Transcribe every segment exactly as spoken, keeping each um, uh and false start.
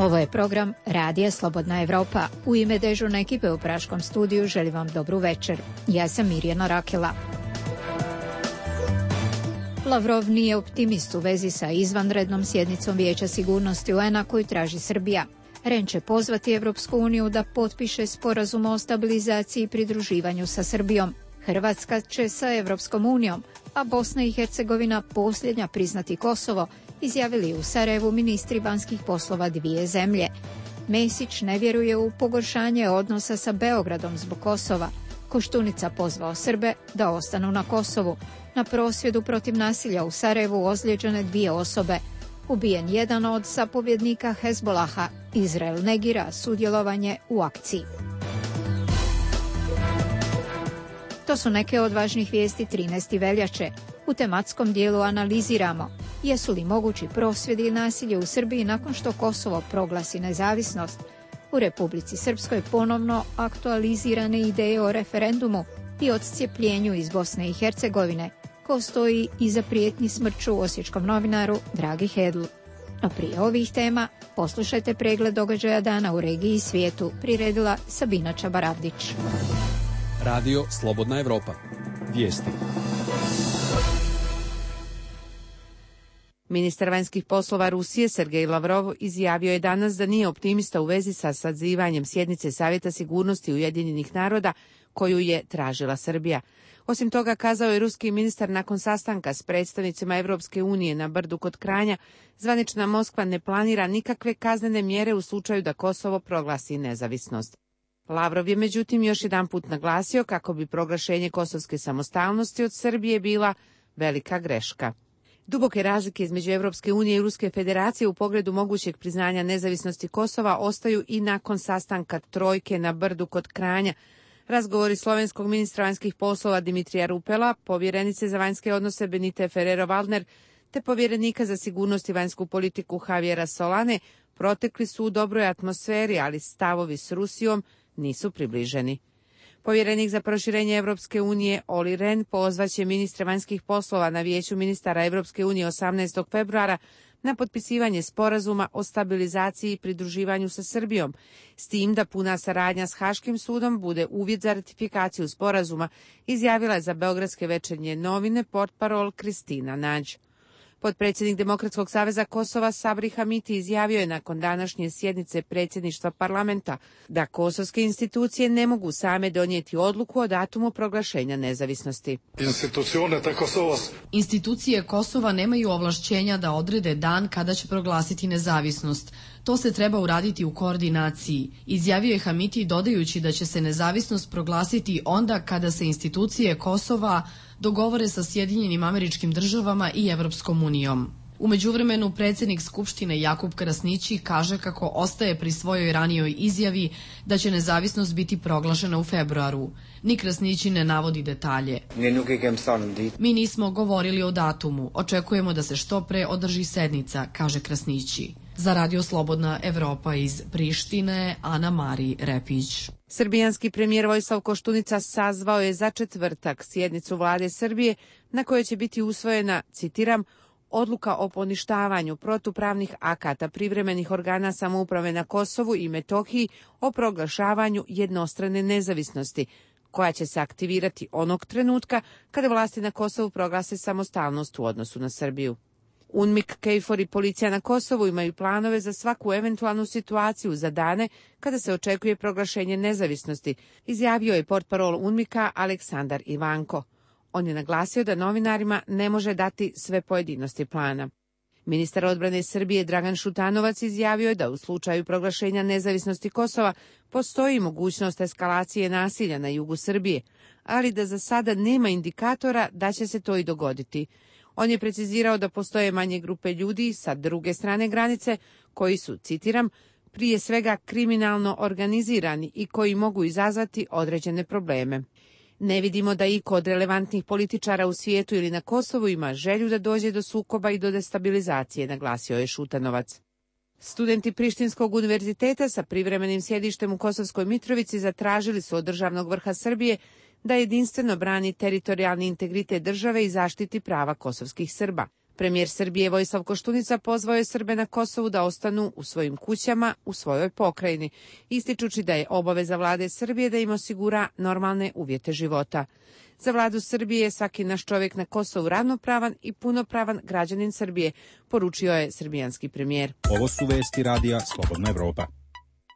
Ovo je program Radija Slobodna Evropa. U ime dežurne ekipe u Praškom studiju želim vam dobru večer. Ja sam Mirjana Rakela. Lavrov nije optimist u vezi sa izvanrednom sjednicom Vijeća sigurnosti U N-a koju traži Srbija. Ren će pozvati Evropsku uniju da potpiše sporazum o stabilizaciji i pridruživanju sa Srbijom. Hrvatska će sa Evropskom unijom, a Bosna i Hercegovina posljednja priznati Kosovo, izjavili u Sarajevu ministri vanjskih poslova dvije zemlje. Mesić ne vjeruje u pogoršanje odnosa sa Beogradom zbog Kosova. Koštunica pozvao Srbe da ostanu na Kosovu. Na prosvjedu protiv nasilja u Sarajevu ozlijeđene dvije osobe. Ubijen jedan od zapovjednika Hezbolaha. Izrael negira sudjelovanje u akciji. To su neke od važnih vijesti trinaeste veljače. U tematskom dijelu analiziramo jesu li mogući prosvjedi i nasilje u Srbiji nakon što Kosovo proglasi nezavisnost. U Republici Srpskoj ponovno aktualizirane ideje o referendumu i odcijepljenju iz Bosne i Hercegovine, ko stoji iza prijetnji smrću osječkom novinaru Dragi Hedl. A prije ovih tema poslušajte pregled događaja dana u regiji i svijetu, priredila Sabina Čabaravdić. Radio Slobodna Evropa. Vijesti. Ministar vanjskih poslova Rusije Sergej Lavrov izjavio je danas da nije optimista u vezi sa sazivanjem sjednice Savjeta sigurnosti Ujedinjenih naroda koju je tražila Srbija. Osim toga, kazao je ruski ministar nakon sastanka s predstavnicima Evropske unije na Brdu kod Kranja, zvanična Moskva ne planira nikakve kaznene mjere u slučaju da Kosovo proglasi nezavisnost. Lavrov je međutim još jedanput naglasio kako bi proglašenje kosovske samostalnosti od Srbije bila velika greška. Duboke razlike između Evropske unije i Ruske federacije u pogledu mogućeg priznanja nezavisnosti Kosova ostaju i nakon sastanka trojke na Brdu kod Kranja. Razgovori slovenskog ministra vanjskih poslova Dimitrija Rupela, povjerenice za vanjske odnose Benite Ferrero-Waldner te povjerenika za sigurnost i vanjsku politiku Javiera Solane protekli su u dobroj atmosferi, ali stavovi s Rusijom nisu približeni. Povjerenik za proširenje Evropske unije Olli Rehn pozvaće ministre vanjskih poslova na Vijeću ministara Evropske unije osamnaestog februara na potpisivanje sporazuma o stabilizaciji i pridruživanju sa Srbijom, s tim da puna saradnja s Haškim sudom bude uvjet za ratifikaciju sporazuma, izjavila je za beogradske večernje novine portparol Kristina Nađ. Potpredsjednik Demokratskog saveza Kosova Sabri Hamiti izjavio je nakon današnje sjednice predsjedništva parlamenta da kosovske institucije ne mogu same donijeti odluku o datumu proglašenja nezavisnosti. Institucije Kosova nemaju ovlašćenja da odrede dan kada će proglasiti nezavisnost. To se treba uraditi u koordinaciji, izjavio je Hamiti dodajući da će se nezavisnost proglasiti onda kada se institucije Kosova dogovore sa Sjedinjenim Američkim Državama i Evropskom unijom. U međuvremenu predsjednik Skupštine Jakub Krasnići kaže kako ostaje pri svojoj ranijoj izjavi da će nezavisnost biti proglašena u februaru. Ni Krasnići ne navodi detalje. Mi nismo govorili o datumu, očekujemo da se što pre održi sednica, kaže Krasnići. Za Radio Slobodna Evropa iz Prištine, Ana Mari Repić. Srbijanski premijer Vojislav Koštunica sazvao je za četvrtak sjednicu vlade Srbije na kojoj će biti usvojena, citiram, odluka o poništavanju protupravnih akata privremenih organa samouprave na Kosovu i Metohiji o proglašavanju jednostrane nezavisnosti, koja će se aktivirati onog trenutka kada vlasti na Kosovu proglase samostalnost u odnosu na Srbiju. UNMIK, KFOR i policija na Kosovu imaju planove za svaku eventualnu situaciju za dane kada se očekuje proglašenje nezavisnosti, izjavio je portparol UNMIK-a Aleksandar Ivanko. On je naglasio da novinarima ne može dati sve pojedinosti plana. Ministar odbrane Srbije Dragan Šutanovac izjavio je da u slučaju proglašenja nezavisnosti Kosova postoji mogućnost eskalacije nasilja na jugu Srbije, ali da za sada nema indikatora da će se to i dogoditi. On je precizirao da postoje manje grupe ljudi sa druge strane granice koji su, citiram, prije svega kriminalno organizirani i koji mogu izazvati određene probleme. Ne vidimo da iko od relevantnih političara u svijetu ili na Kosovu ima želju da dođe do sukoba i do destabilizacije, naglasio je Šutanovac. Studenti Prištinskog univerziteta sa privremenim sjedištem u Kosovskoj Mitrovici zatražili su od državnog vrha Srbije da jedinstveno brani teritorijalni integritet države i zaštiti prava kosovskih Srba. Premijer Srbije Vojislav Koštunica pozvao je Srbe na Kosovu da ostanu u svojim kućama, u svojoj pokrajini, ističući da je obaveza vlade Srbije da im osigura normalne uvjete života. Za vladu Srbije je svaki naš čovjek na Kosovu ravnopravan i punopravan građanin Srbije, poručio je srbijanski premijer. Ovo su vesti radija Slobodna Evropa.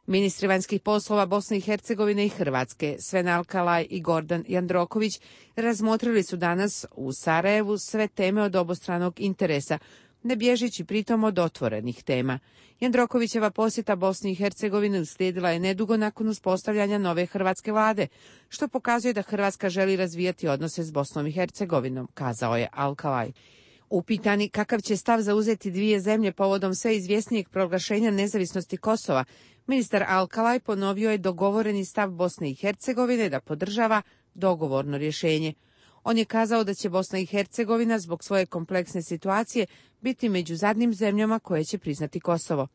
Ministri vanjskih poslova Bosne i Hercegovine i Hrvatske, Sven Alkalaj i Gordan Jandroković, razmotrili su danas u Sarajevu sve teme od obostranog interesa, ne bježići pritom od otvorenih tema. Jandrokovićeva posjeta Bosni i Hercegovine uslijedila je nedugo nakon uspostavljanja nove hrvatske vlade, što pokazuje da Hrvatska želi razvijati odnose s Bosnom i Hercegovinom, kazao je Alkalaj. Upitani kakav će stav zauzeti dvije zemlje povodom sve izvjesnijeg proglašenja nezavisnosti Kosova, ministar Alkalaj ponovio je dogovoreni stav Bosne i Hercegovine da podržava dogovorno rješenje. On je kazao da će Bosna i Hercegovina zbog svoje kompleksne situacije biti među zadnjim zemljama koje će priznati Kosovo.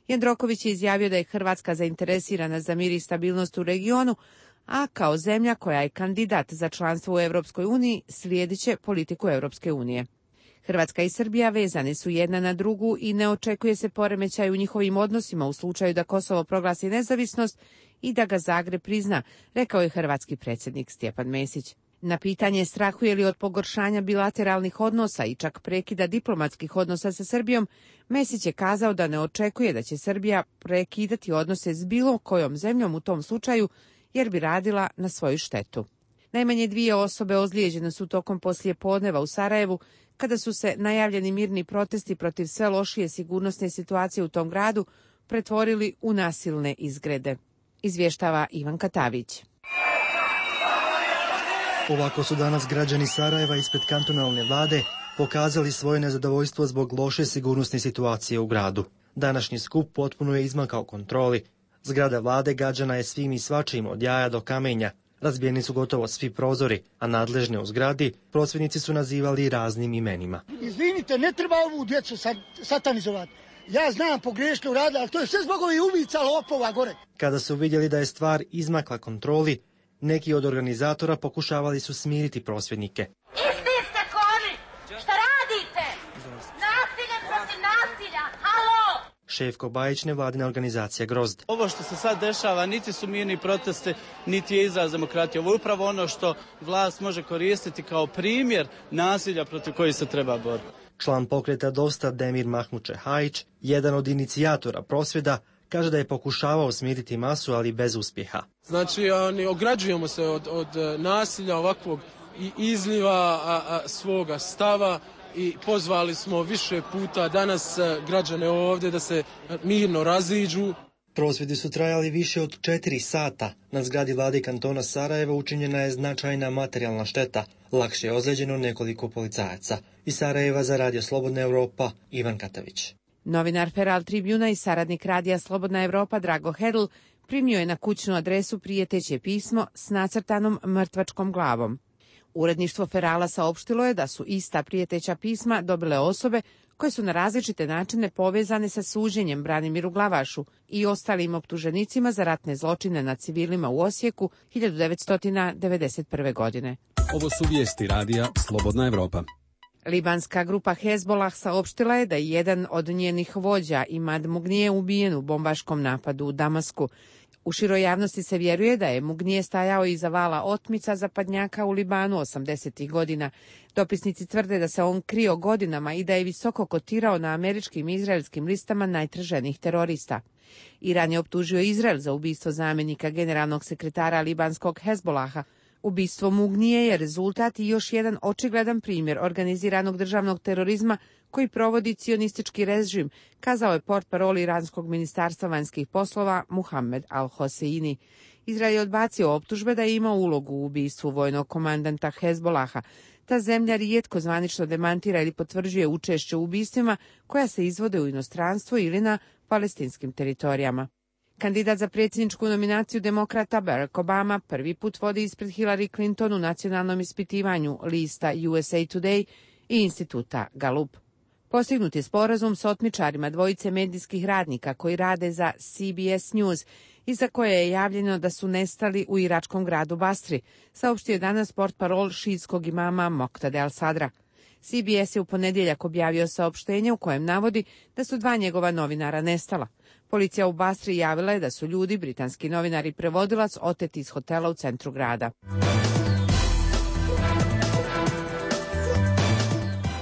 Jandroković je izjavio da je Hrvatska zainteresirana za mir i stabilnost u regionu, a kao zemlja koja je kandidat za članstvo u Europskoj uniji slijedit će politiku Europske unije. Hrvatska i Srbija vezane su jedna na drugu i ne očekuje se poremećaj u njihovim odnosima u slučaju da Kosovo proglasi nezavisnost i da ga Zagreb prizna, rekao je hrvatski predsjednik Stjepan Mesić. Na pitanje strahuje li od pogoršanja bilateralnih odnosa i čak prekida diplomatskih odnosa sa Srbijom, Mesić je kazao da ne očekuje da će Srbija prekidati odnose s bilo kojom zemljom u tom slučaju jer bi radila na svoju štetu. Najmanje dvije osobe ozlijeđene su tokom poslijepodneva u Sarajevu kada su se najavljeni mirni protesti protiv sve lošije sigurnosne situacije u tom gradu pretvorili u nasilne izgrede. Izvještava Ivan Katavić. Ovako su danas građani Sarajeva ispred kantonalne vlade pokazali svoje nezadovoljstvo zbog loše sigurnosne situacije u gradu. Današnji skup potpuno je izmakao kontroli. Zgrada vlade gađana je svim i svačim od jaja do kamenja. Razbijeni su gotovo svi prozori, a nadležne u zgradi prosvjednici su nazivali raznim imenima. Izvinite, ne treba ovu djecu satanizovati. Ja znam pogriješno uradili, ali to je sve zbog ovih ubica lopova gore. Kada su vidjeli da je stvar izmakla kontroli, neki od organizatora pokušavali su smiriti prosvjednike. Isti ste koni! Šta radite? Nasilje protiv nasilja! Halo! Šefko Bajić, nevladina organizacija Grozd. Ovo što se sad dešava niti su mirni proteste, niti je izraz demokratije. Ovo je upravo ono što vlast može koristiti kao primjer nasilja protiv kojih se treba boriti. Član pokreta Dosta Demir Mahmuče Hajić, jedan od inicijatora prosvjeda, kaže da je pokušavao smiriti masu, ali bez uspjeha. Znači, oni, ograđujemo se od, od nasilja ovakvog i izliva a, a, svoga stava i pozvali smo više puta danas građane ovdje da se mirno raziđu. Prosvjedi su trajali više od četiri sata. Na zgradi vlade kantona Sarajeva učinjena je značajna materijalna šteta. Lakše je ozlijeđeno nekoliko policajaca. Iz Sarajeva za Radio Slobodna Evropa, Ivan Katavić. Novinar Feral Tribuna i saradnik Radija Slobodna Evropa Drago Hedl primio je na kućnu adresu prijeteće pismo s nacrtanom mrtvačkom glavom. Uredništvo Ferala saopštilo je da su ista prijeteća pisma dobile osobe koje su na različite načine povezane sa suđenjem Branimiru Glavašu i ostalim optuženicima za ratne zločine nad civilima u Osijeku hiljadu devetsto devedeset prve. godine. Ovo su vijesti Radija Slobodna Evropa. Libanska grupa Hezbollah saopštila je da je jedan od njenih vođa Imad Mugnije ubijen u bombaškom napadu u Damasku. U široj javnosti se vjeruje da je Mugnije stajao iza vala otmica zapadnjaka u Libanu osamdesetih godina. Dopisnici tvrde da se on krio godinama i da je visoko kotirao na američkim i izraelskim listama najtraženijih terorista. Iran je optužio Izrael za ubistvo zamjenika generalnog sekretara libanskog Hezbollaha. Ubistvo Mugnije je rezultat i još jedan očigledan primjer organiziranog državnog terorizma koji provodi cionistički režim, kazao je portparol iranskog ministarstva vanjskih poslova Muhammed al-Hoseini. Izrael je odbacio optužbe da je imao ulogu u ubistvu vojnog komandanta Hezbollaha. Ta zemlja rijetko zvanično demantira ili potvrđuje učešće u ubistvima koja se izvode u inostranstvu ili na palestinskim teritorijama. Kandidat za predsjedničku nominaciju demokrata Barack Obama prvi put vodi ispred Hillary Clinton u nacionalnom ispitivanju lista U S A Today i instituta Gallup. Postignut je sporazum s otmičarima dvojice medijskih radnika koji rade za C B S News i za koje je javljeno da su nestali u iračkom gradu Basri, saopštio je danas portparol šiitskog imama Moqtada al-Sadra. C B S je u ponedjeljak objavio saopštenje u kojem navodi da su dva njegova novinara nestala. Policija u Basri javila je da su ljudi, britanski novinar i prevodilac, oteti iz hotela u centru grada.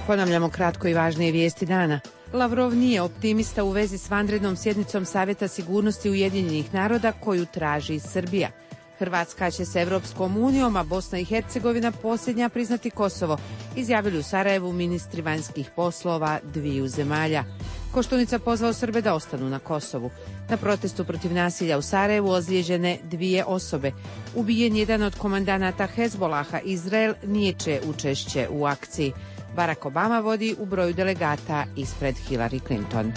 Ponavljamo kratko i važnije vijesti dana. Lavrov nije optimista u vezi s vanrednom sjednicom Savjeta sigurnosti Ujedinjenih naroda koju traži Srbija. Hrvatska će s Evropskom unijom, a Bosna i Hercegovina posljednja priznati Kosovo, izjavili u Sarajevu ministri vanjskih poslova dviju zemalja. Koštunica pozvao Srbe da ostanu na Kosovu. Na protestu protiv nasilja u Sarajevu ozlijeđene dvije osobe. Ubijen jedan od komandanata Hezbolaha, Izrael niječe učešće u akciji. Barack Obama vodi u broju delegata ispred Hillary Clinton.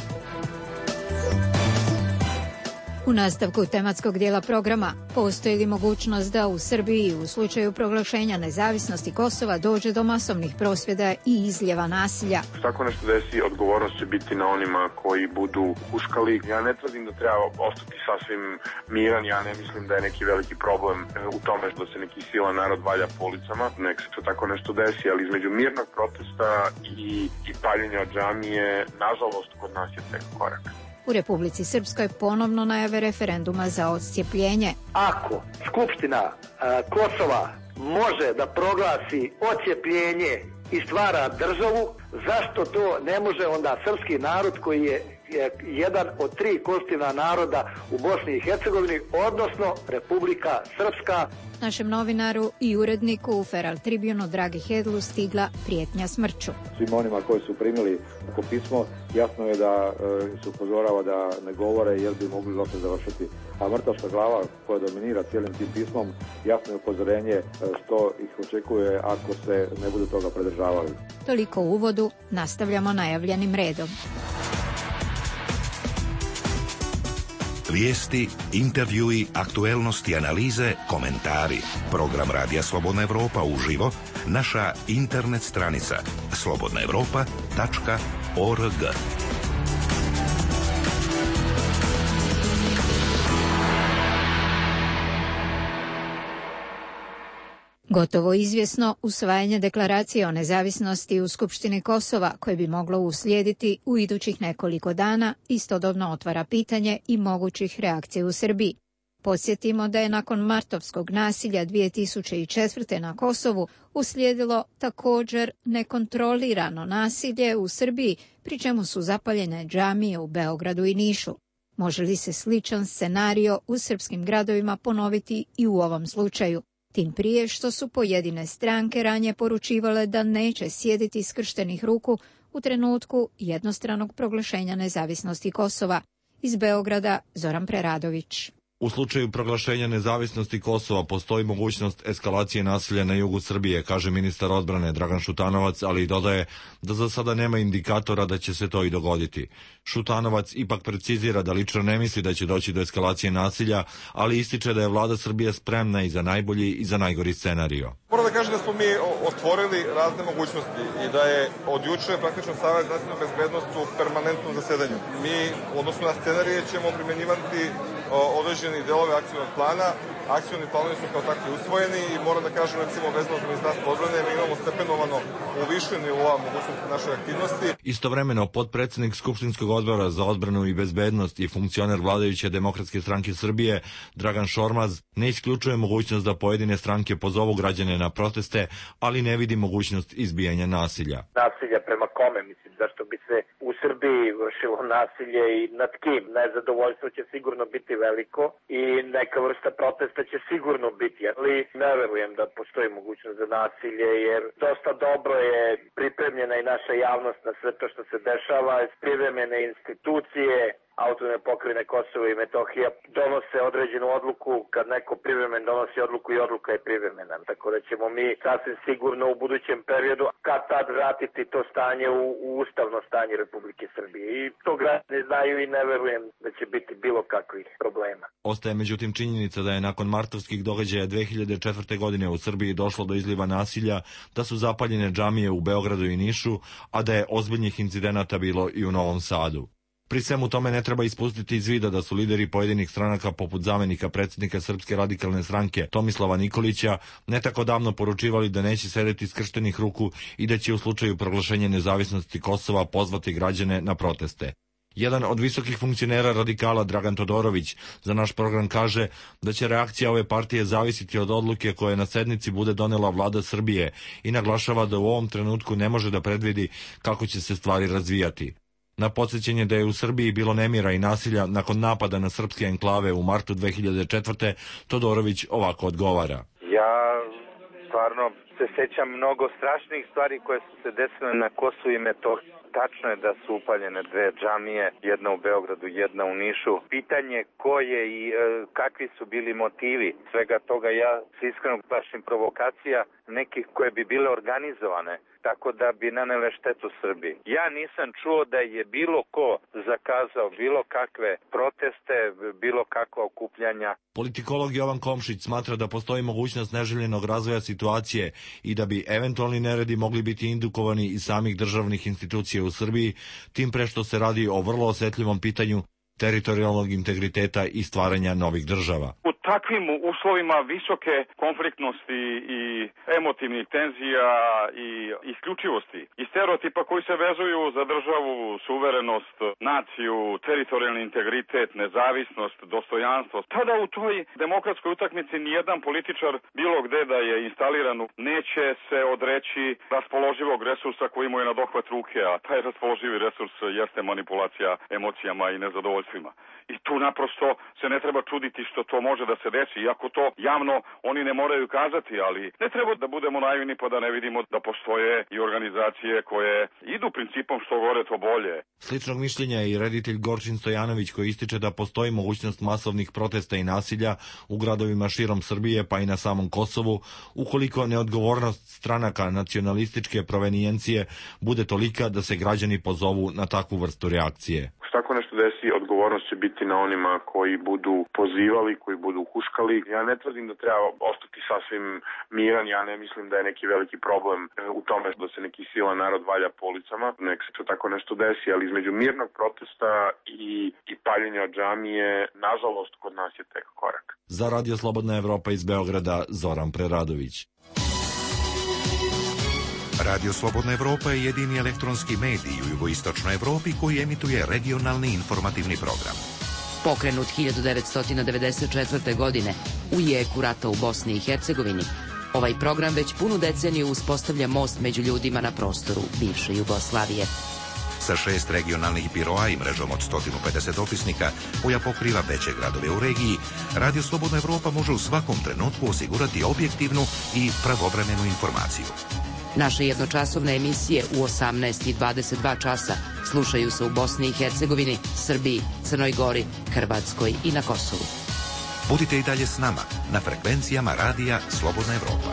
U nastavku tematskog dijela programa, postoji li mogućnost da u Srbiji u slučaju proglašenja nezavisnosti Kosova dođe do masovnih prosvjeda i izljeva nasilja? Tako nešto desi, odgovornost će biti na onima koji budu huškali. Ja ne tvrdim da treba ostati sasvim miran, ja ne mislim da je neki veliki problem u tome što se neki sila narod valja po ulicama. Nek se to tako nešto desi, ali između mirnog protesta i, i paljenja od džamije, nažalost, kod nas je tek korak. U Republici Srpskoj ponovno najave referenduma za odcijepljenje. Ako Skupština a, Kosova može da proglasi odcijepljenje i stvara državu, zašto to ne može onda srpski narod koji je jedan od tri konstitutivna naroda u Bosni i Hercegovini, odnosno Republika Srpska? Našem novinaru i uredniku u Feral Tribunu Dragi Hedlu stigla prijetnja smrću. Svim onima koji su primili tako pismo, jasno je da e, se upozorava da ne govore jer bi mogli loše završiti. A mrtvačka glava koja dominira cijelim tim pismom, jasno je upozorenje e, što ih očekuje ako se ne budu toga pridržavali. Toliko u uvodu, nastavljamo najavljenim redom. Vijesti, intervjui, aktuelnosti, analize, komentari. Program Radija Slobodna Evropa uživo, naša internet stranica slobodna evropa tačka org. Gotovo izvjesno usvajanje deklaracije o nezavisnosti u Skupštini Kosova, koje bi moglo uslijediti u idućih nekoliko dana, istodobno otvara pitanje i mogućih reakcija u Srbiji. Podsjetimo da je nakon martovskog nasilja dvije tisuće četvrte. na Kosovu uslijedilo također nekontrolirano nasilje u Srbiji, pri čemu su zapaljene džamije u Beogradu i Nišu. Može li se sličan scenario u srpskim gradovima ponoviti i u ovom slučaju? Tim prije što su pojedine stranke ranije poručivale da neće sjediti skrštenih ruku u trenutku jednostranog proglašenja nezavisnosti Kosova. Iz Beograda Zoran Preradović. U slučaju proglašenja nezavisnosti Kosova postoji mogućnost eskalacije nasilja na jugu Srbije, kaže ministar odbrane Dragan Šutanovac, ali i dodaje da za sada nema indikatora da će se to i dogoditi. Šutanovac ipak precizira da lično ne misli da će doći do eskalacije nasilja, ali ističe da je vlada Srbije spremna i za najbolji i za najgori scenario. Moram da kažem da smo mi otvorili razne mogućnosti i da je od juče praktično Savet za nacionalnu bezbednost u permanentnom zasedanju. Mi, odnosno na scenarije, ćemo primjenjivati određeni delove akcijnog plana. Akcijni planovi su kao takvi usvojeni i moram da kažem, recimo, vezano za Ministarstvo odbrane, mi imamo stepenovano u više nivoa mogućnosti naše aktivnosti. Istovremeno, potpredsednik Skupštinskog odbora za odbranu i bezbednost i funkcioner vladajuće Demokratske stranke Srbije, Dragan Šormaz, ne isključuje mogućnost da pojedine stranke pozovu građane na proteste, ali ne vidi mogućnost izbijanja nasilja. Nasilja prema kome, mislim, zašto bi se u Srbiji vršilo nasilje i nad kim? Nezadovoljstvo će sigurno biti veliko i neka vrsta protesta će sigurno biti, ali ne verujem da postoji mogućnost za nasilje, jer dosta dobro je pripremljena i naša javnost na sve to što se dešava, pripremljene institucije, Autonomne pokrajine Kosovo i Metohija donose određenu odluku, kad neko privremen donosi odluku i odluka je privremena. Tako da ćemo mi sasvim sigurno u budućem periodu kad tad vratiti to stanje u, u ustavno stanje Republike Srbije. I to građani znaju i ne verujem da će biti bilo kakvih problema. Ostaje međutim činjenica da je nakon martovskih događaja dve hiljade četvrte. godine u Srbiji došlo do izliva nasilja, da su zapaljene džamije u Beogradu i Nišu, a da je ozbiljnih incidenata bilo i u Novom Sadu. Pri svemu tome ne treba ispustiti iz vida da su lideri pojedinih stranaka poput zamenika predsjednika Srpske radikalne stranke Tomislava Nikolića ne tako davno poručivali da neće sedeti skrštenih ruku i da će u slučaju proglašenja nezavisnosti Kosova pozvati građane na proteste. Jedan od visokih funkcionera radikala, Dragan Todorović, za naš program kaže da će reakcija ove partije zavisiti od odluke koje na sednici bude donela vlada Srbije i naglašava da u ovom trenutku ne može da predvidi kako će se stvari razvijati. Na podsjećanje da je u Srbiji bilo nemira i nasilja nakon napada na srpske enklave u martu dve hiljade četvrte. Dodorović ovako odgovara. Ja stvarno se sećam mnogo strašnih stvari koje su se desile na Kosovu i Metohiji. Tačno je da su upaljene dve džamije, jedna u Beogradu, jedna u Nišu. Pitanje ko je i e, kakvi su bili motivi svega toga, ja se iskreno plašim provokacija nekih koje bi bile organizovane, tako da bi nanele štetu Srbiji. Ja nisam čuo da je bilo ko zakazao bilo kakve proteste, bilo kakva okupljanja. Politikolog Jovan Komšić smatra da postoji mogućnost neželjenog razvoja situacije i da bi eventualni neredi mogli biti indukovani iz samih državnih institucija u Srbiji, tim pre što se radi o vrlo osetljivom pitanju teritorijalnog integriteta i stvaranja novih država. U takvim uslovima visoke konfliktnosti i emotivnih tenzija i isključivosti i stereotipa koji se vezuju za državu, suverenost, naciju, teritorijalni integritet, nezavisnost, dostojanstvo, tada u toj demokratskoj utakmici nijedan političar bilo gde da je instaliran neće se odreći raspoloživog resursa koji mu je na dohvat ruke, a taj raspoloživi resurs jeste manipulacija emocijama i nezadovoljstvima. I tu naprosto se ne treba čuditi što to može da se desi, iako to javno oni ne moraju kazati, ali ne treba da budemo naivni pa da ne vidimo da postoje i organizacije koje idu principom što gore to bolje. Sličnog mišljenja je i reditelj Gorčin Stojanović koji ističe da postoji mogućnost masovnih protesta i nasilja u gradovima širom Srbije pa i na samom Kosovu, ukoliko neodgovornost stranaka nacionalističke provenijencije bude tolika da se građani pozovu na takvu vrstu reakcije. Tako nešto desi, odgovornost će biti na onima koji budu pozivali, koji budu huškali. Ja ne tvrdim da treba ostati sasvim miran, ja ne mislim da je neki veliki problem u tome da se neki silan narod valja po ulicama. Nek se to tako nešto desi, ali između mirnog protesta i, i paljenja džamije, nažalost, kod nas je tek korak. Za Radio Slobodna Evropa iz Beograda, Zoran Preradović. Radio Slobodna Evropa je jedini elektronski medij u jugoistočnoj Evropi koji emituje regionalni informativni program. Pokrenut hiljadu devetsto devedeset četvrte. godine u jeku rata u Bosni i Hercegovini, ovaj program već punu deceniju uspostavlja most među ljudima na prostoru bivše Jugoslavije. Sa šest regionalnih biroa i mrežom od sto pedeset dopisnika koja pokriva veće gradove u regiji, Radio Slobodna Evropa može u svakom trenutku osigurati objektivnu i pravovremenu informaciju. Naše jednočasovne emisije u osamnaest i dvadeset dva časa slušaju se u Bosni i Hercegovini, Srbiji, Crnoj Gori, Hrvatskoj i na Kosovu. Budite i dalje s nama na frekvencijama Radija Slobodna Evropa.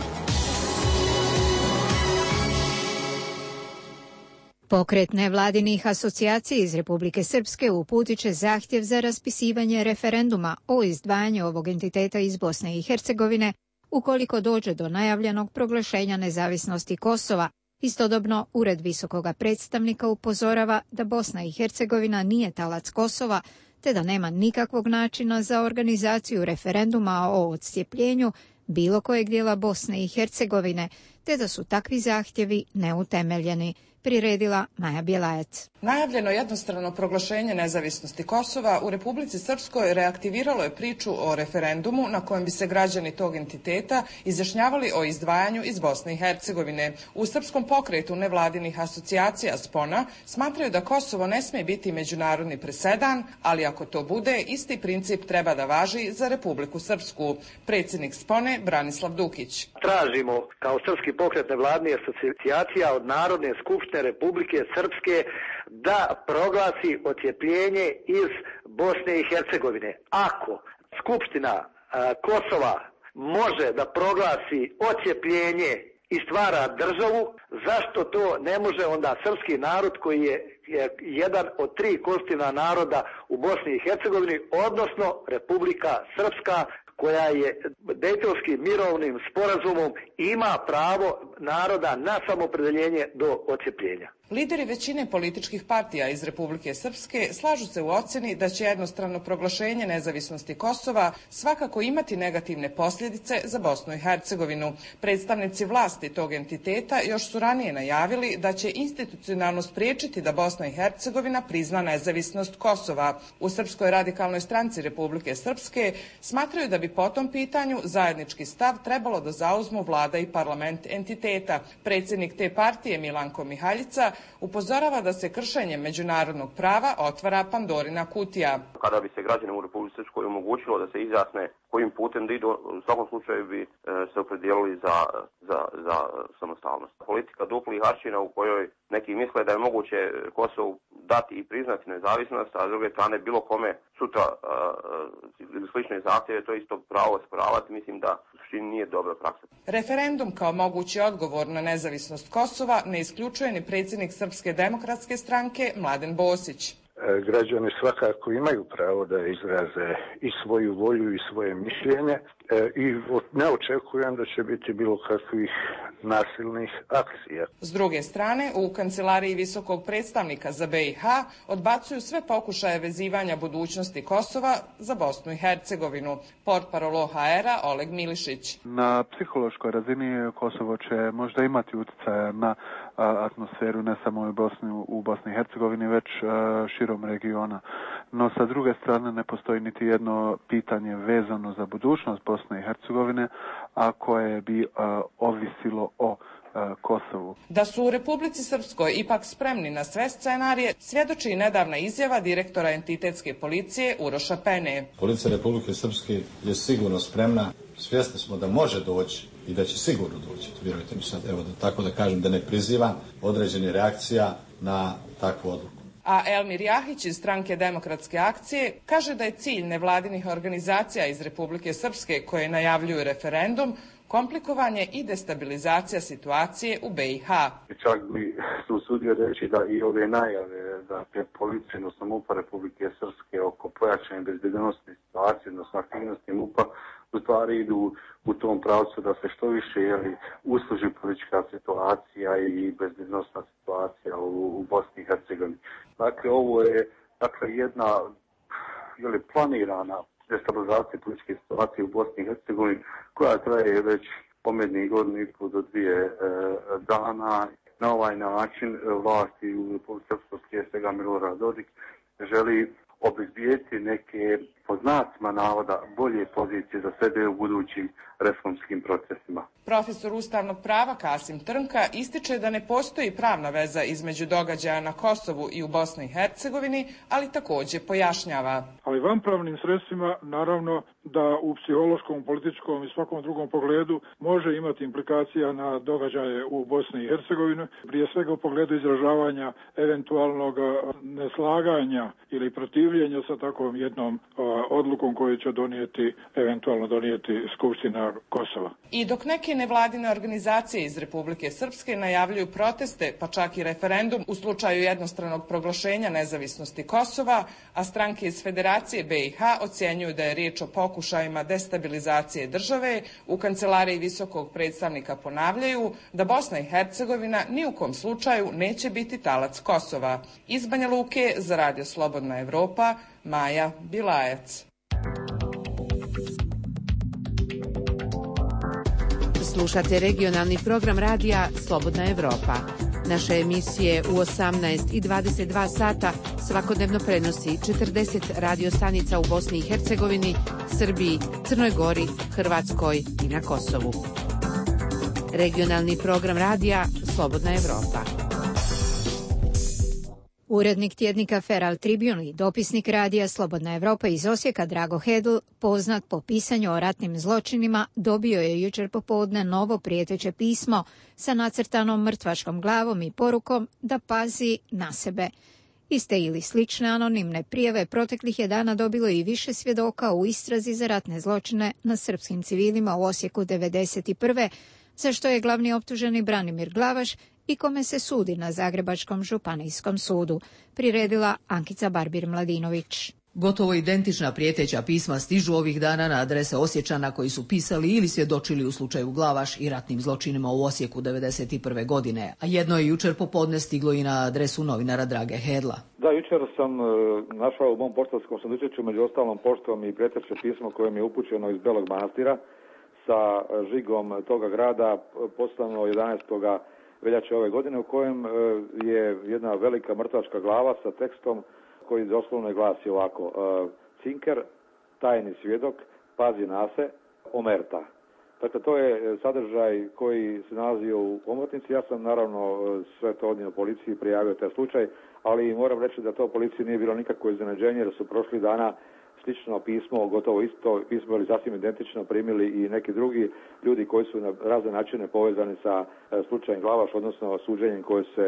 Pokret nevladinih asocijacija iz Republike Srpske uputit će zahtjev za raspisivanje referenduma o izdvajanju ovog entiteta iz Bosne i Hercegovine ukoliko dođe do najavljenog proglašenja nezavisnosti Kosova. Istodobno, Ured visokoga predstavnika upozorava da Bosna i Hercegovina nije talac Kosova, te da nema nikakvog načina za organizaciju referenduma o odcijepljenju bilo kojeg dijela Bosne i Hercegovine, te da su takvi zahtjevi neutemeljeni, priredila Maja Bjelajac. Najavljeno jednostrano proglašenje nezavisnosti Kosova u Republici Srpskoj reaktiviralo je priču o referendumu na kojem bi se građani tog entiteta izjašnjavali o izdvajanju iz Bosne i Hercegovine. U Srpskom pokretu nevladinih asocijacija Spona smatraju da Kosovo ne smije biti međunarodni presedan, ali ako to bude, isti princip treba da važi za Republiku Srpsku. Predsjednik Spone Branislav Dukić. Tražimo kao Srpski pokret nevladinih asocijacija od Narodne skupštine Republike Srpske da proglasi odcijepljenje iz Bosne i Hercegovine. Ako Skupština a, Kosova može da proglasi odcijepljenje i stvara državu, zašto to ne može onda srpski narod koji je, je jedan od tri konstitutivna naroda u Bosni i Hercegovini, odnosno Republika Srpska, koja je Dejtonskim mirovnim sporazumom ima pravo naroda na samoopredeljenje do odcjepljenja. Lideri većine političkih partija iz Republike Srpske slažu se u ocjeni da će jednostrano proglašenje nezavisnosti Kosova svakako imati negativne posljedice za Bosnu i Hercegovinu. Predstavnici vlasti tog entiteta još su ranije najavili da će institucionalno spriječiti da Bosna i Hercegovina prizna nezavisnost Kosova. U Srpskoj radikalnoj stranci Republike Srpske smatraju da bi po tom pitanju zajednički stav trebalo da zauzmu vlada i parlament entiteta. Predsjednik te partije Milanko Mihaljica upozorava da se kršenjem međunarodnog prava otvara Pandorina kutija. Kada bi se građanima u Republici Srpskoj omogućilo da se izjasne kojim putem da idu, u svakom slučaju bi se opredijelili za, za, za samostalnost. Politika duplih aršina u kojoj neki misle da je moguće Kosovu dati i priznati nezavisnost, a s druge strane bilo kome sutra ili slične zahtjeve to isto pravo osporavati, mislim da u suštini nije dobra praksa. Referendum kao mogući odgovor na nezavisnost Kosova ne isključuje ni predsjednik Srpske demokratske stranke Mladen Bosić. Građani svakako imaju pravo da izraze i svoju volju i svoje mišljenje i ne očekujem da će biti bilo kakvih nasilnih akcija. S druge strane, u Kancelariji visokog predstavnika za B i H odbacuju sve pokušaje vezivanja budućnosti Kosova za Bosnu i Hercegovinu. Portparol O H R-a Oleg Milišić. Na psihološkoj razini Kosovo će možda imati utjecaja na atmosferu ne samo u Bosni, u Bosni i Hercegovini, već širom regiona. No sa druge strane ne postoji niti jedno pitanje vezano za budućnost Bosne i Hercegovine, a koje bi ovisilo o Kosovu. Da su u Republici Srpskoj ipak spremni na sve scenarije, svjedoči i nedavna izjava direktora entitetske policije Uroša Pene. Policija Republike Srpske je sigurno spremna, svjesni smo da može doći i da će sigurno doći, vjerujte mi sad, evo da tako da kažem, da ne prizivam određene reakcija na takvu odluku. A Elmir Jahić iz stranke Demokratske akcije kaže da je cilj nevladinih organizacija iz Republike Srpske koje najavljuju referendum komplikovanje i destabilizacija situacije u B i H. Čak bi se usudio reći da i ove najave da je policija, odnosno MUP-a Republike Srpske oko pojačane bezbednosne situacije, odnosno aktivnosti MUP-a, u stvari idu u tom pravcu da se što više jeli, usluži politička situacija i bezbednosna situacija u, u Bosni i Hercegovini. Dakle, ovo je dakle, jedna jeli, planirana destabilizacija političke situacije u Bosni i Hercegovini koja traje već pomednih godinu i pol do dvije e, dana. Na ovaj način vlasti u Republici Srpskoj, prije svega Milorad Dodik, želi obezbijeti neke, po znacima navoda, bolje pozicije za sebe u budućim reformskim procesima. Profesor ustavnog prava Kasim Trnka ističe da ne postoji pravna veza između događaja na Kosovu i u Bosni i Hercegovini, ali također pojašnjava. Ali vanpravnim sredstvima naravno da u psihološkom, političkom i svakom drugom pogledu može imati implikacija na događaje u Bosni i Hercegovini, prije svega u pogledu izražavanja eventualnog neslaganja ili protivljenja sa takvom jednom odlukom koju će donijeti, eventualno donijeti Skupština Kosova. I dok neke nevladine organizacije iz Republike Srpske najavljuju proteste, pa čak i referendum u slučaju jednostranog proglašenja nezavisnosti Kosova, a stranke iz Federacije B i H ocjenjuju da je riječ o pokušajima destabilizacije države, u Kancelariji visokog predstavnika ponavljaju da Bosna i Hercegovina ni u kom slučaju neće biti talac Kosova. Iz Banja Luke za Radio Slobodna Evropa, Maja Bilajac. Slušate regionalni program radija Slobodna Evropa. Naše emisije u osamnaest i dvadeset dva sata svakodnevno prenosi četrdeset radio stanica u Bosni i Hercegovini, Srbiji, Crnoj Gori, Hrvatskoj i na Kosovu. Regionalni program radija Slobodna Evropa. Urednik tjednika Feral Tribune i dopisnik radija Slobodna Evropa iz Osijeka Drago Hedl, poznat po pisanju o ratnim zločinima, dobio je jučer popodne novo prijeteće pismo sa nacrtanom mrtvačkom glavom i porukom da pazi na sebe. Iste ili slične anonimne prijave proteklih je dana dobilo i više svjedoka u istrazi za ratne zločine na srpskim civilima u Osijeku devedeset prve, za što je glavni optuženi Branimir Glavaš i kome se sudi na Zagrebačkom županijskom sudu, priredila Ankica Barbir Mladinović. Gotovo identična prijeteća pisma stižu ovih dana na adrese Osječana koji su pisali ili svjedočili u slučaju Glavaš i ratnim zločinima u Osijeku devedeset prve godine, a jedno je jučer popodne stiglo i na adresu novinara Drage Hedla. Da, jučer sam e, našao u mom poštarskom sandučiću među ostalom poštom i prijeteće pismo koje mi je upućeno iz Belog Manastira sa žigom toga grada poslano jedanaestog veljače ove godine, u kojem e, je jedna velika mrtvačka glava sa tekstom koji doslovno glasi ovako: Cinker, tajni svjedok, pazi na se, omerta. Dakle, to je sadržaj koji se nalazio u omotnici. Ja sam naravno sve to odnio policiji, prijavio taj slučaj, ali moram reći da to policiji nije bilo nikakvo iznenađenje, jer su prošli dana slično pismo, gotovo isto pismo ili sasvim identično primili i neki drugi ljudi koji su na razne načine povezani sa slučajem Glavaš, odnosno suđenjem koje se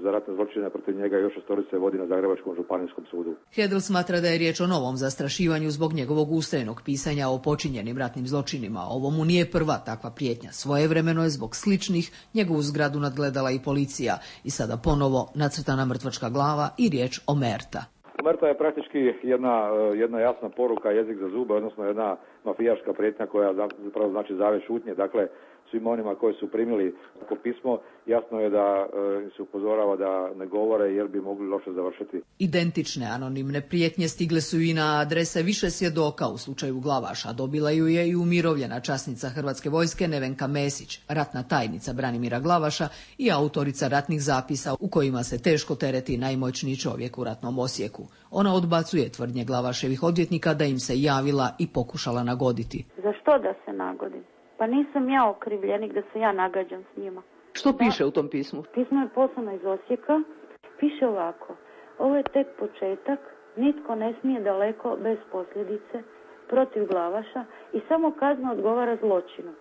za ratne zločine protiv njega još šestorice vodi na Zagrebačkom županijskom sudu. Hedl smatra da je riječ o novom zastrašivanju zbog njegovog ustrajnog pisanja o počinjenim ratnim zločinima. Ovo mu nije prva takva prijetnja. Svojevremeno je zbog sličnih njegovu zgradu nadgledala i policija i sada ponovo nacrtana mrtvačka glava i riječ omerta. Omerta je praktički jedna, jedna jasna poruka, jezik za zube, odnosno jedna mafijaška prijetnja koja zapravo znači zavjet šutnje. Dakle, svim onima koji su primili to pismo, jasno je da im se upozorava da ne govore jer bi mogli loše završiti. Identične anonimne prijetnje stigle su i na adrese više svjedoka u slučaju Glavaša. Dobila ju je i umirovljena časnica Hrvatske vojske Nevenka Mesić, ratna tajnica Branimira Glavaša i autorica ratnih zapisa u kojima se teško tereti najmoćniji čovjek u ratnom Osijeku. Ona odbacuje tvrdnje Glavaševih odvjetnika da im se javila i pokušala nagoditi. Za što da se nagodim? Pa nisam ja okrivljenik da se ja nagađam s njima. Što piše u tom pismu? Pismo je poslano iz Osijeka. Piše ovako: ovo je tek početak, nitko ne smije daleko bez posljedice protiv Glavaša i samo kazna odgovara zločinu.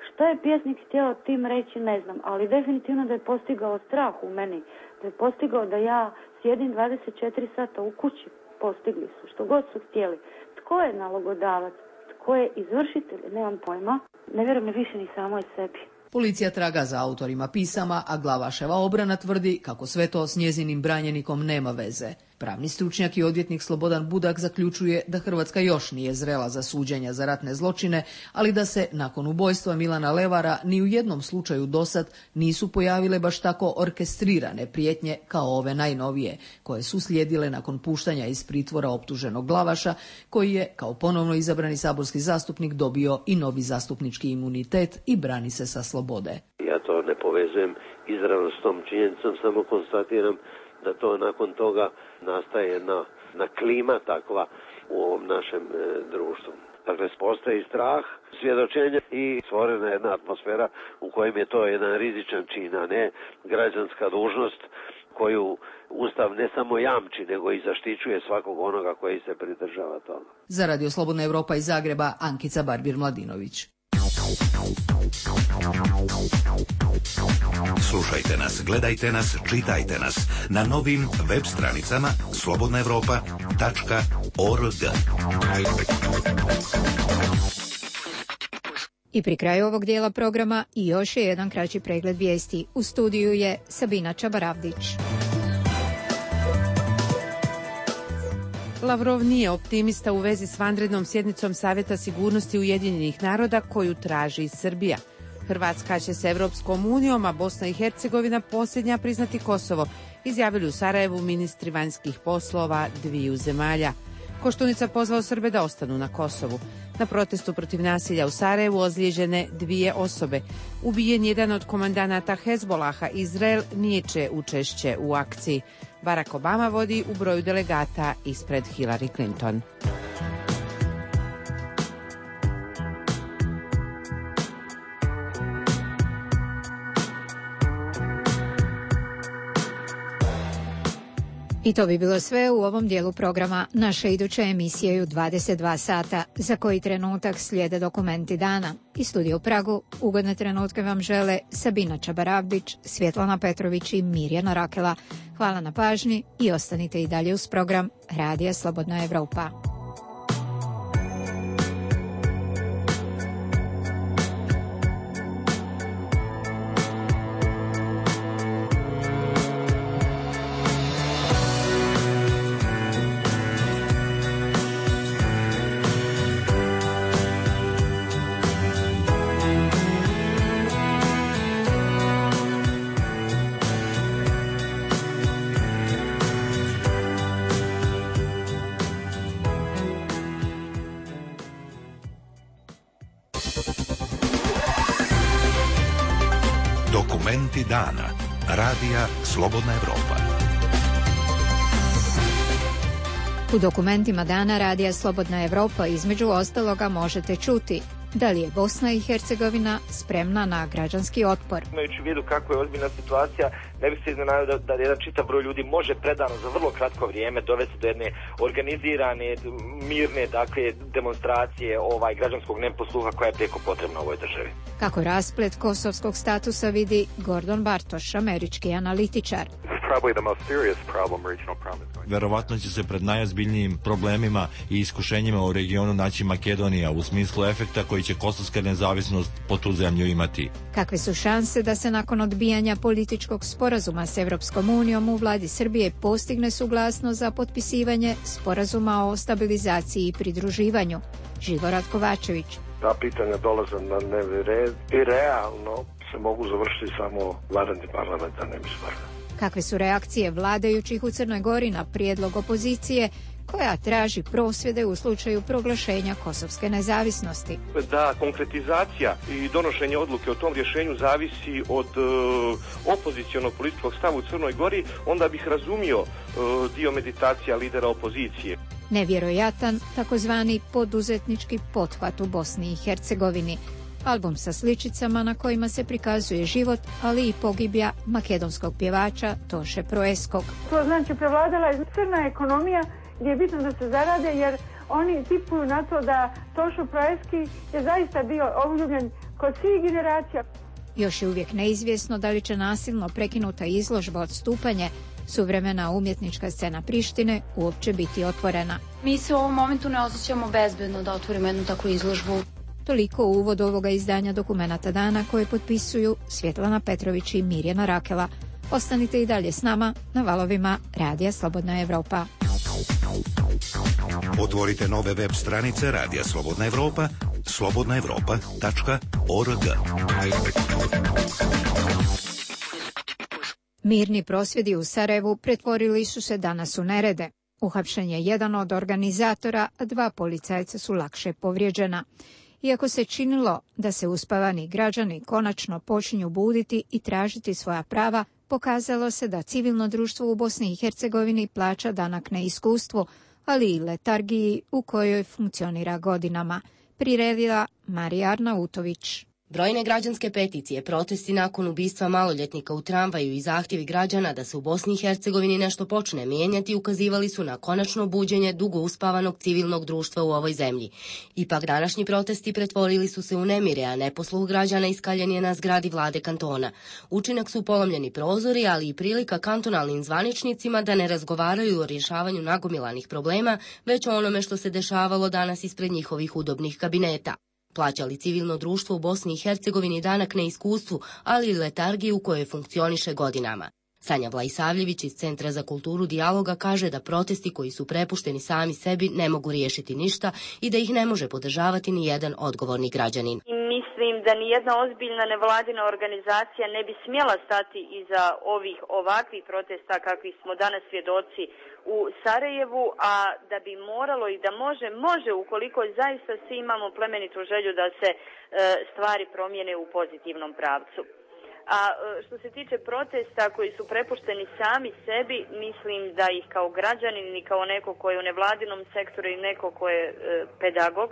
Što je pjesnik htio tim reći ne znam, ali definitivno da je postigao strah u meni, da je postigao da ja sjedim dvadeset četiri sata u kući. Postigli su što god su htjeli. Tko je nalogodavac? Tko je izvršitelj? Nemam pojma. Ne vjerujem više ni samoj sebi. Policija traga za autorima pisama, a Glavaševa obrana tvrdi kako sve to s njezinim branjenikom nema veze. Pravni stručnjak i odvjetnik Slobodan Budak zaključuje da Hrvatska još nije zrela za suđenja za ratne zločine, ali da se nakon ubojstva Milana Levara ni u jednom slučaju dosad nisu pojavile baš tako orkestrirane prijetnje kao ove najnovije, koje su slijedile nakon puštanja iz pritvora optuženog Glavaša, koji je kao ponovno izabrani saborski zastupnik dobio i novi zastupnički imunitet i brani se sa slobode. Ja to ne povezujem izravno s tom činjenicom, samo konstatiram da to nakon toga nastaje jedna, jedna klima takva u ovom našem e, društvu. Dakle, postoji strah, svjedočenje i stvorena jedna atmosfera u kojem je to jedan rizičan čin, a ne građanska dužnost koju Ustav ne samo jamči, nego i zaštićuje svakog onoga koji se pridržava toga. Za Radio Slobodna Evropa iz Zagreba, Ankica Barbir-Mladinović. Slušajte nas, gledajte nas, čitajte nas na novim web stranicama slobodna evropa tačka org. I pri kraju ovog dijela programa i još je jedan kraći pregled vijesti. U studiju je Sabina Čabaravdić. Lavrov nije optimista u vezi s vanrednom sjednicom Savjeta sigurnosti Ujedinjenih naroda koju traži Srbija. Hrvatska će s Evropskom unijom, a Bosna i Hercegovina posljednja priznati Kosovo, izjavili u Sarajevu ministri vanjskih poslova dviju zemalja. Koštunica pozvao Srbe da ostanu na Kosovu. Na protestu protiv nasilja u Sarajevu ozlijeđene dvije osobe. Ubijen jedan od komandanata Hezbolaha, Izrael niječe učešće u akciji. Barack Obama vodi u broju delegata ispred Hillary Clinton. I to bi bilo sve u ovom dijelu programa. Naše iduće emisije je u dvadeset dva sata, za koji trenutak slijede dokumenti dana. I studiju u Pragu ugodne trenutke vam žele Sabina Čabaravdić, Svjetlana Petrović i Mirjana Rakela. Hvala na pažnji i ostanite i dalje uz program Radija Slobodna Evropa. Dokumenti dana. Radija Slobodna Evropa. U dokumentima dana Radija Slobodna Evropa između ostaloga možete čuti da li je Bosna i Hercegovina spremna na građanski otpor. Imajući u vidu kako je ozbiljna situacija, ne bih se iznenadio da, da jedan čitav broj ljudi može predano za vrlo kratko vrijeme dovesti do jedne organizirane, mirne, dakle, demonstracije ovaj građanskog neposluha koja je prijeko potrebna u ovoj državi. Kako rasplet kosovskog statusa vidi Gordon Bartoš, američki analitičar. Verovatno će se pred najozbiljnijim problemima i iskušenjima u regionu naći Makedonija u smislu efekta koji će kosovska nezavisnost po tu zemlju imati. Kakve su šanse da se nakon odbijanja političkog sporazuma s Evropskom unijom u vladi Srbije postigne suglasnost za potpisivanje sporazuma o stabilizaciji i pridruživanju? Živorad Kovačević. Ta pitanja dolaze na dnevni red i realno se mogu završiti samo vanrednim parlamentarnim izborima. Kakve su reakcije vladajućih u Crnoj Gori na prijedlog opozicije koja traži prosvjede u slučaju proglašenja kosovske nezavisnosti? Da konkretizacija i donošenje odluke o tom rješenju zavisi od e, opozicionog političkog stava u Crnoj Gori, onda bih razumio e, dio meditacija lidera opozicije. Nevjerojatan takozvani poduzetnički pothvat u Bosni i Hercegovini. Album sa sličicama na kojima se prikazuje život, ali i pogibija makedonskog pjevača Toše Proeskog. To znači prevladala je crna ekonomija gdje je bitno da se zarade, jer oni tipuju na to da Tošo Proeski je zaista bio obljubljen kod svih generacija. Još je uvijek neizvjesno da li će nasilno prekinuta izložba Odstupanje, suvremena umjetnička scena Prištine, uopće biti otvorena. Mi se u ovom momentu ne osjećamo bezbedno da otvorimo jednu takvu izložbu. Toliko u uvod ovoga izdanja Dokumenata dana koje potpisuju Svjetlana Petrović i Mirjana Rakela. Ostanite i dalje s nama na valovima Radija Slobodna Evropa. Otvorite nove web stranice Radija Slobodna Evropa, slobodna evropa tačka org. Mirni prosvjedi u Sarajevu pretvorili su se danas u nerede. Uhapšen je jedan od organizatora, a dva policajca su lakše povrijeđena. Iako se činilo da se uspavani građani konačno počinju buditi i tražiti svoja prava, pokazalo se da civilno društvo u Bosni i Hercegovini plaća danak neiskustvu, ali i letargiji u kojoj funkcionira godinama. Priredila Marija Arnautović. Brojne građanske peticije, protesti nakon ubistva maloljetnika u tramvaju i zahtjevi građana da se u Bosni i Hercegovini nešto počne mijenjati ukazivali su na konačno buđenje dugo uspavanog civilnog društva u ovoj zemlji. Ipak današnji protesti pretvorili su se u nemire, a neposluh građana iskaljen je na zgradi vlade kantona. Učinak su polomljeni prozori, ali i prilika kantonalnim zvaničnicima da ne razgovaraju o rješavanju nagomilanih problema, već o onome što se dešavalo danas ispred njihovih udobnih kabineta. Plaćali civilno društvo u Bosni i Hercegovini danak neiskustvu, ali i letargiju u kojoj funkcioniše godinama. Sanja Vlajsavljević iz Centra za kulturu dijaloga kaže da protesti koji su prepušteni sami sebi ne mogu riješiti ništa i da ih ne može podržavati ni jedan odgovorni građanin. Mislim da ni jedna ozbiljna nevladina organizacija ne bi smjela stati iza ovih ovakvih protesta kakvih smo danas svjedoci u Sarajevu, a da bi moralo i da može, može ukoliko zaista svi imamo plemenitu želju da se e, stvari promijene u pozitivnom pravcu. A što se tiče protesta koji su prepušteni sami sebi, mislim da ih kao građanin i kao neko ko je u nevladinom sektoru i neko ko je e, pedagog,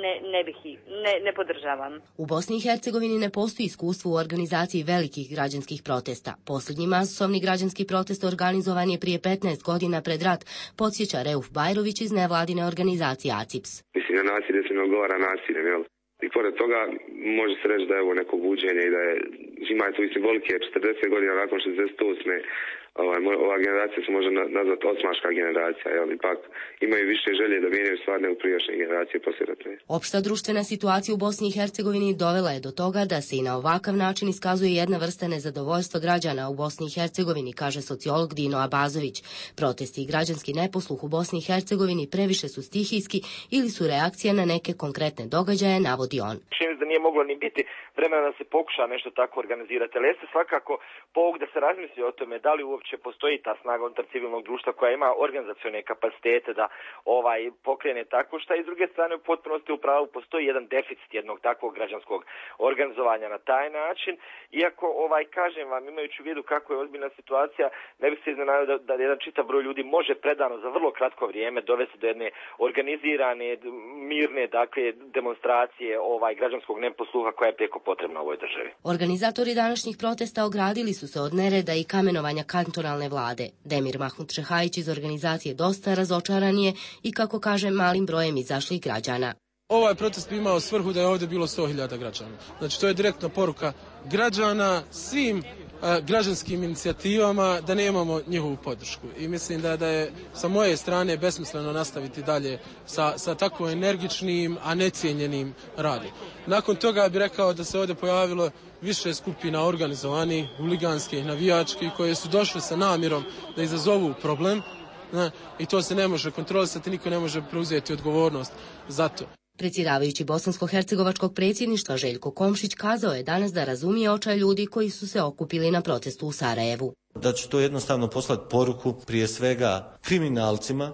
Ne, ne bih i, ne, ne podržavam. U Bosni i Hercegovini ne postoji iskustvo u organizaciji velikih građanskih protesta. Posljednji masovni građanski protest organizovan je prije petnaest godina pred rat, podsjeća Reuf Bajrović iz nevladine organizacije A C I P S. Mislim da nasilje se ne odgovara nasiljem, jel? I pored toga može se reći da je ovo neko buđenje i da je, ima je to i simbolike, četrdeset godina nakon šezdeset osme Ovaj, ova generacija se može nazvati osmaška generacija, jel, ipak imaju više želje da mijenjaju stvar nego prijašnje generacije poslijeratne. Opšta društvena situacija u Bosni i Hercegovini dovela je do toga da se i na ovakav način iskazuje jedna vrsta nezadovoljstva građana u Bosni i Hercegovini, kaže sociolog Dino Abazović. Protesti i građanski neposluh u Bosni i Hercegovini previše su stihijski ili su reakcija na neke konkretne događaje, navodi on. Čini da nije moglo ni biti vremena da se pokuša nešto tako organizirati, ali jeste svakako povod da se razmisli o tome da li uopće uopće postoji ta snaga unutar civilnog društva koja ima organizacione kapacitete da ovaj pokrene tako šta, i s druge strane u potpunosti u pravu postoji jedan deficit jednog takvog građanskog organizovanja na taj način. Iako ovaj kažem vam, imajući u vidu kako je ozbiljna situacija, ne bi se iznenadio da, da jedan čitav broj ljudi može predano za vrlo kratko vrijeme dovesti do jedne organizirane, mirne, dakle, demonstracije ovaj građanskog neposluha koja je prijeko potrebna u ovoj državi. Organizatori današnjih protesta ogradili su se od nereda i kamenovanja kantonalne vlade. Demir Mahmud Šehajić iz organizacije Dosta razočaran je i, kako kaže, malim brojem izašlih građana. Ovaj protest bi imao svrhu da je ovdje bilo sto hiljada građana. Znači, to je direktna poruka građana svim a, građanskim inicijativama da nemamo njihovu podršku. I mislim da, da je sa moje strane besmisleno nastaviti dalje sa, sa tako energičnim, a necijenjenim radom. Nakon toga bih rekao da se ovdje pojavilo više skupina organizovanih, huliganskih, navijačkih, koje su došle sa namjerom da izazovu problem. Ne, i to se ne može kontrolisati, niko ne može preuzeti odgovornost za to. Predsjedavajući bosansko-hercegovačkog predsjedništva Željko Komšić kazao je danas da razumije očaj ljudi koji su se okupili na protestu u Sarajevu. Da će to jednostavno poslati poruku prije svega kriminalcima,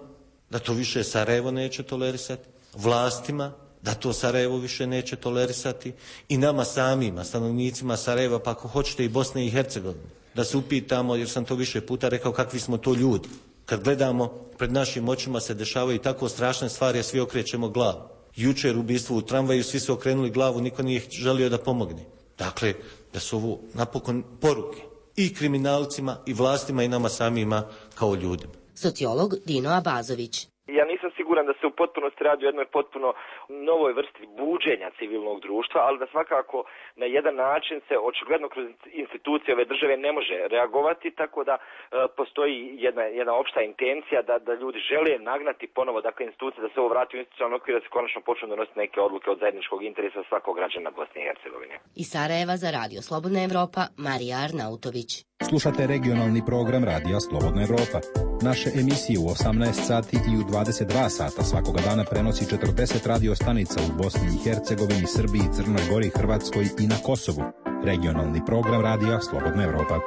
da to više Sarajevo neće tolerisati, vlastima, da to Sarajevo više neće tolerisati, i nama samima, stanovnicima Sarajeva, pa ako hoćete i Bosne i Hercegovine, da se upitamo, jer sam to više puta rekao, kakvi smo to ljudi. Kad gledamo, pred našim očima se dešavaju tako strašne stvari, a svi okrećemo glavu. Jučer ubistvo u tramvaju, svi su okrenuli glavu, niko nije želio da pomogne. Dakle, da su ovo napokon poruke i kriminalcima, i vlastima, i nama samima kao ljudima. Sociolog Dino Abazović. Ja nisam siguran da se u potpunosti radi o jednoj potpuno novoj vrsti buđenja civilnog društva, ali da svakako na jedan način se očigledno kroz institucije ove države ne može reagovati, tako da e, postoji jedna, jedna opšta intencija da, da ljudi žele nagnati ponovo, dakle, institucije, da se ovo vrati u institucionalni okvir, da se konačno počnu donositi neke odluke od zajedničkog interesa svakog građana Bosne i Hercegovine. Iz Sarajeva za Radio Slobodna Evropa, Marija Arnautović. Slušate regionalni program Radija Slobodna Evropa. Naše emisije u osamnaest sati i u dvadeset dva sata svakoga dana prenosi četrdeset radio stanica u Bosni i Hercegovini, Srbiji, Crnoj Gori, Hrvatskoj i na Kosovu. Regionalni program Radija Slobodna Evropa.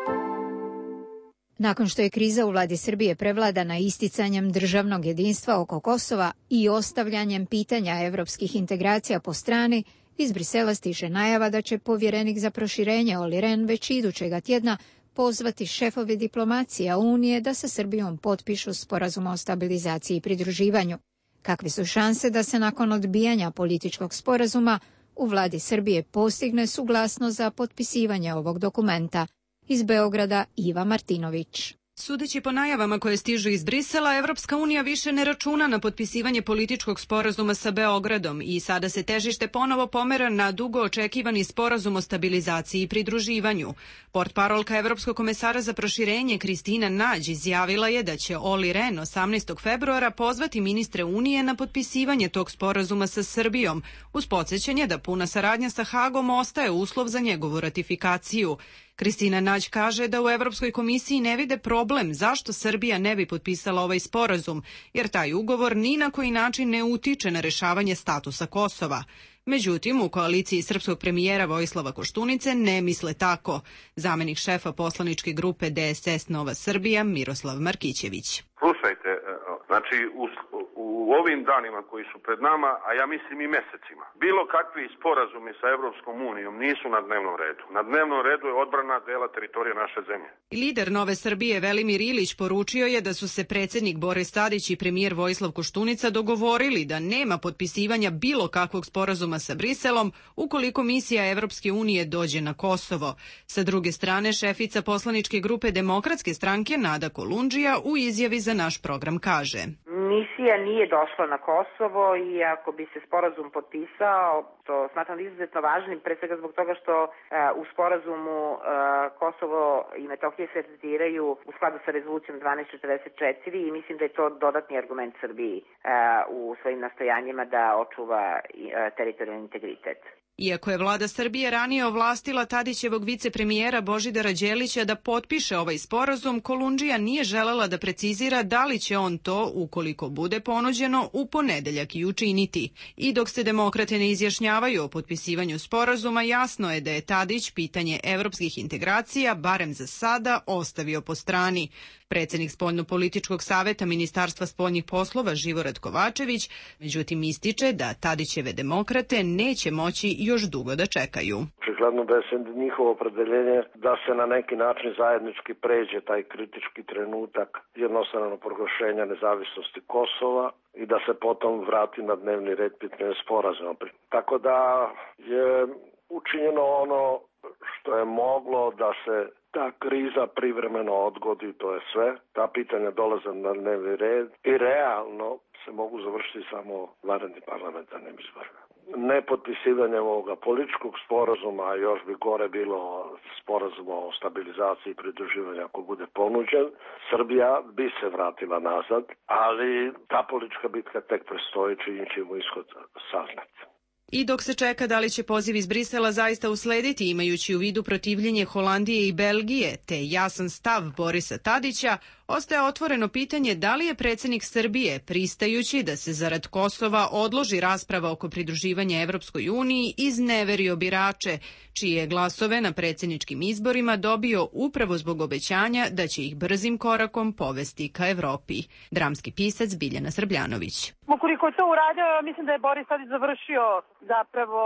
Nakon što je kriza u vladi Srbije prevladana isticanjem državnog jedinstva oko Kosova i ostavljanjem pitanja evropskih integracija po strani, iz Brisela stiže najava da će povjerenik za proširenje Olli Rehn već idućega tjedna pozvati šefove diplomacija Unije da sa Srbijom potpišu sporazum o stabilizaciji i pridruživanju. Kakve su šanse da se nakon odbijanja političkog sporazuma u vladi Srbije postigne suglasnost za potpisivanje ovog dokumenta? Iz Beograda Iva Martinović. Sudeći po najavama koje stižu iz Brisela, Evropska unija više ne računa na potpisivanje političkog sporazuma sa Beogradom i sada se težište ponovo pomera na dugo očekivani sporazum o stabilizaciji i pridruživanju. Portparolka Evropskog komesara za proširenje Kristina Nađ izjavila je da će Olli Rehn osamnaestog februara pozvati ministre Unije na potpisivanje tog sporazuma sa Srbijom, uz podsjećanje da puna saradnja sa Hagom ostaje uslov za njegovu ratifikaciju. Kristina Nađ kaže da u Evropskoj komisiji ne vide problem zašto Srbija ne bi potpisala ovaj sporazum, jer taj ugovor ni na koji način ne utiče na rešavanje statusa Kosova. Međutim, u koaliciji srpskog premijera Vojislava Koštunice ne misle tako. Zamenik šefa poslaničke grupe D S S Nova Srbija Miroslav Markićević. Slušajte, znači u, u ovim danima koji su pred nama, a ja mislim i mesecima, bilo kakvi sporazumi sa Evropskom unijom nisu na dnevnom redu. Na dnevnom redu je odbrana dela teritorije naše zemlje. Lider Nove Srbije Velimir Ilić poručio je da su se predsjednik Boris Tadić i premijer Vojislav Koštunica dogovorili da nema potpisivanja bilo kakvog sporazuma sa Briselom ukoliko misija Evropske unije dođe na Kosovo. Sa druge strane, šefica poslaničke grupe Demokratske stranke Nada Kolundžija u izjavi za naš program kaže: Misija nije došla na Kosovo i ako bi se sporazum potpisao, to smatram izuzetno važnim, pre svega zbog toga što uh, u sporazumu uh, Kosovo i Metohija se tretiraju u skladu sa rezolucijom dvanaest četrdeset četiri i mislim da je to dodatni argument Srbiji uh, u svojim nastojanjima da očuva uh, teritorijalni integritet. Iako je vlada Srbije ranije ovlastila Tadićevog vicepremijera Božidara Đelića da potpiše ovaj sporazum, Kolundžija nije želela da precizira da li će on to, ukoliko bude ponuđeno, u ponedeljak i učiniti. I dok se demokrate ne izjašnjavaju o potpisivanju sporazuma, jasno je da je Tadić pitanje evropskih integracija, barem za sada, ostavio po strani. Predsednik Spoljno-političkog saveta Ministarstva spoljnih poslova Živorad Kovačević, međutim ističe da Tadićeve demokrate neće moći još dugo da čekaju. Očigledno da je njihovo opredeljenje da se na neki način zajednički pređe taj kritički trenutak jednostavno proglašenja nezavisnosti Kosova i da se potom vrati na dnevni red pitanje sporazuma. Tako da je učinjeno ono što je moglo da se ta kriza privremeno odgodi, to je sve. Ta pitanja dolaze na dnevni red i realno se mogu završiti samo vanrednim parlamentarnim izborima. Nepotpisivanjem ovoga političkog sporazuma, a još bi gore bilo sporazuma o stabilizaciji i pridruživanju ako bude ponuđen, Srbija bi se vratila nazad, ali ta politička bitka tek prestoji, čim ćemo ishod saznati. I dok se čeka da li će poziv iz Brisela zaista uslediti, imajući u vidu protivljenje Holandije i Belgije, te jasan stav Borisa Tadića, ostaje otvoreno pitanje da li je predsednik Srbije, pristajući da se zarad Kosova odloži rasprava oko pridruživanja Evropskoj uniji, izneverio birače, čije glasove na predsedničkim izborima dobio upravo zbog obećanja da će ih brzim korakom povesti ka Evropi. Dramski pisac Biljana Srbljanović. Ukoliko je to uradio, mislim da je Boris Tadić završio zapravo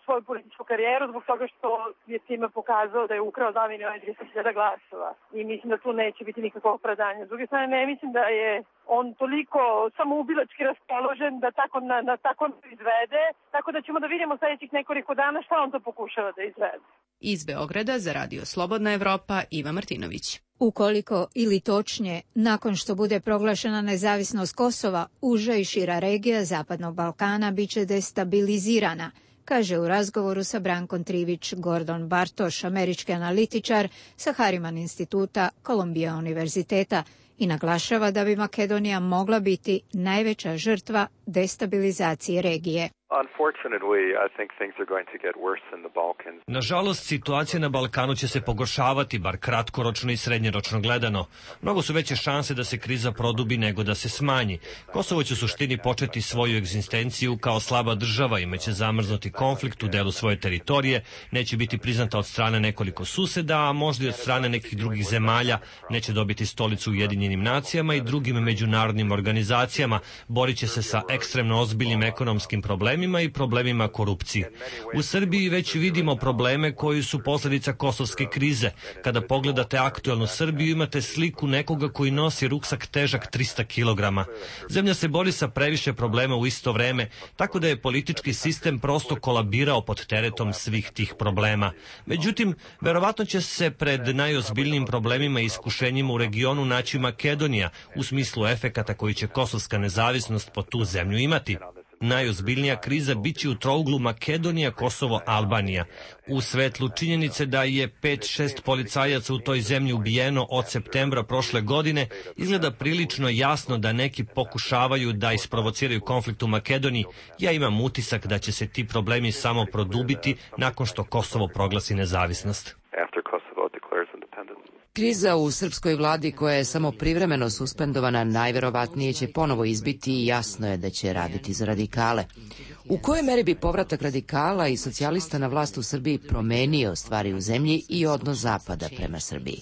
svoju političku karijeru zbog toga što je time pokazao da je ukrao dva miliona i tristo hiljada glasova. I mislim da tu neće biti nikakvog opravdanja. S druge strane, ne mislim da je on toliko samoubilački raspoložen da tako, na, na tako izvede, tako da ćemo da vidimo sljedećih nekoliko dana šta on to pokušava da izvede. Iz Beograda za Radio Slobodna Evropa, Iva Martinović. Ukoliko, ili točnije, nakon što bude proglašena nezavisnost Kosova, uža i šira regija Zapadnog Balkana biće destabilizirana, kaže u razgovoru sa Brankom Trivić Gordon Bartoš, američki analitičar sa Harriman instituta Columbia univerziteta, i naglašava da bi Makedonija mogla biti najveća žrtva destabilizacije regije. Nažalost, situacija na Balkanu će se pogoršavati, bar kratkoročno i srednjoročno gledano. Mnogo su veće šanse da se kriza produbi nego da se smanji. Kosovo će u suštini početi svoju egzistenciju kao slaba država, imaće zamrznuti konflikt u delu svoje teritorije, neće biti priznata od strane nekoliko suseda, a možda i od strane nekih drugih zemalja, neće dobiti stolicu u Ujedinjenim nacijama i drugim međunarodnim organizacijama, borit će se sa ekstremno ozbiljnim ekonomskim problemima i problemima korupcije. U Srbiji već vidimo probleme koji su posljedica kosovske krize. Kada pogledate aktuelnu Srbiju, imate sliku nekoga koji nosi ruksak težak trista kilograma. Zemlja se bori sa previše problema u isto vreme, tako da je politički sistem prosto kolabirao pod teretom svih tih problema. Međutim, verovatno će se pred najozbiljnijim problemima i iskušenjima u regionu naći Makedonija, u smislu efekata koji će kosovska nezavisnost po tu zemlju imati. Najozbiljnija kriza biće u trouglu Makedonija, Kosovo, Albanija. U svetlu činjenice da je pet šest policajaca u toj zemlji ubijeno od septembra prošle godine, izgleda prilično jasno da neki pokušavaju da isprovociraju konflikt u Makedoniji. Ja imam utisak da će se ti problemi samo produbiti nakon što Kosovo proglasi nezavisnost. Kriza u srpskoj vladi, koja je samo privremeno suspendovana, najverovatnije će ponovo izbiti i jasno je da će raditi za radikale. U kojoj meri bi povratak radikala i socijalista na vlast u Srbiji promenio stvari u zemlji i odnos Zapada prema Srbiji?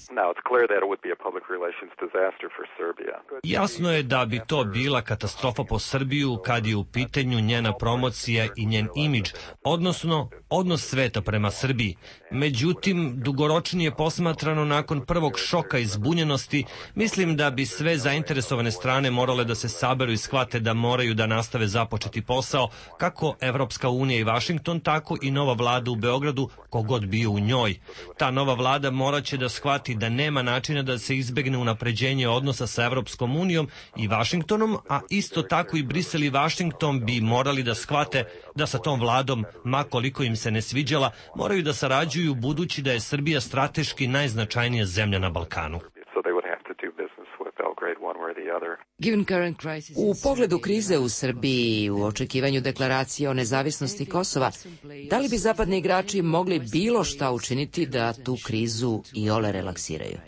Jasno je da bi to bila katastrofa po Srbiju kad je u pitanju njena promocija i njen imidž, odnosno odnos sveta prema Srbiji. Međutim, dugoročnije posmatrano nakon prvog šoka i zbunjenosti, mislim da bi sve zainteresovane strane morale da se saberu i shvate da moraju da nastave započeti posao, kako Evropska unija i Vašington, tako i nova vlada u Beogradu, kogod bio u njoj. Ta nova vlada moraće da shvati da nema načina da se izbegne unapređenje odnosa sa Evropskom unijom i Vašingtonom, a isto tako i Brisel i Vašington bi morali da shvate da sa tom vladom, ma koliko im se ne sviđala, moraju da sarađuju budući da je Srbija strateški najznačajnija zemlja na Balkanu. U pogledu krize u Srbiji i u očekivanju deklaracije o nezavisnosti Kosova, da li bi zapadni igrači mogli bilo šta učiniti da tu krizu iole relaksiraju?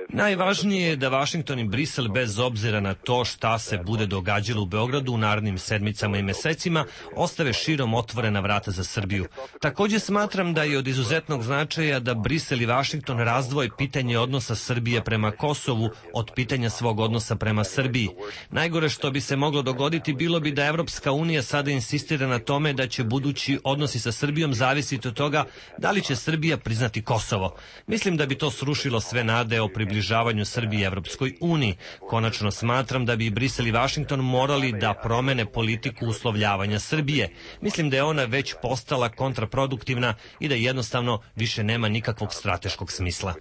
Najvažnije je da Vašington i Brisel, bez obzira na to šta se bude događalo u Beogradu u narednim sedmicama i mesecima, ostave širom otvorena vrata za Srbiju. Također smatram da je od izuzetnog značaja da Brisel i Vašington razdvoje pitanje odnosa Srbije prema Kosovu od pitanja svog odnosa prema Srbiji. Najgore što bi se moglo dogoditi bilo bi da Evropska unija sada insistira na tome da će budući odnosi sa Srbijom zavisiti od toga da li će Srbija priznati Kosovo. Mislim da bi to srušilo sve nade o približavanju Srbije Evropskoj uniji. Konačno smatram da bi Brisel i Vašington morali da promene politiku uslovljavanja Srbije. Mislim da je ona već postala kontraproduktivna i da jednostavno više nema nikakvog strateškog smisla.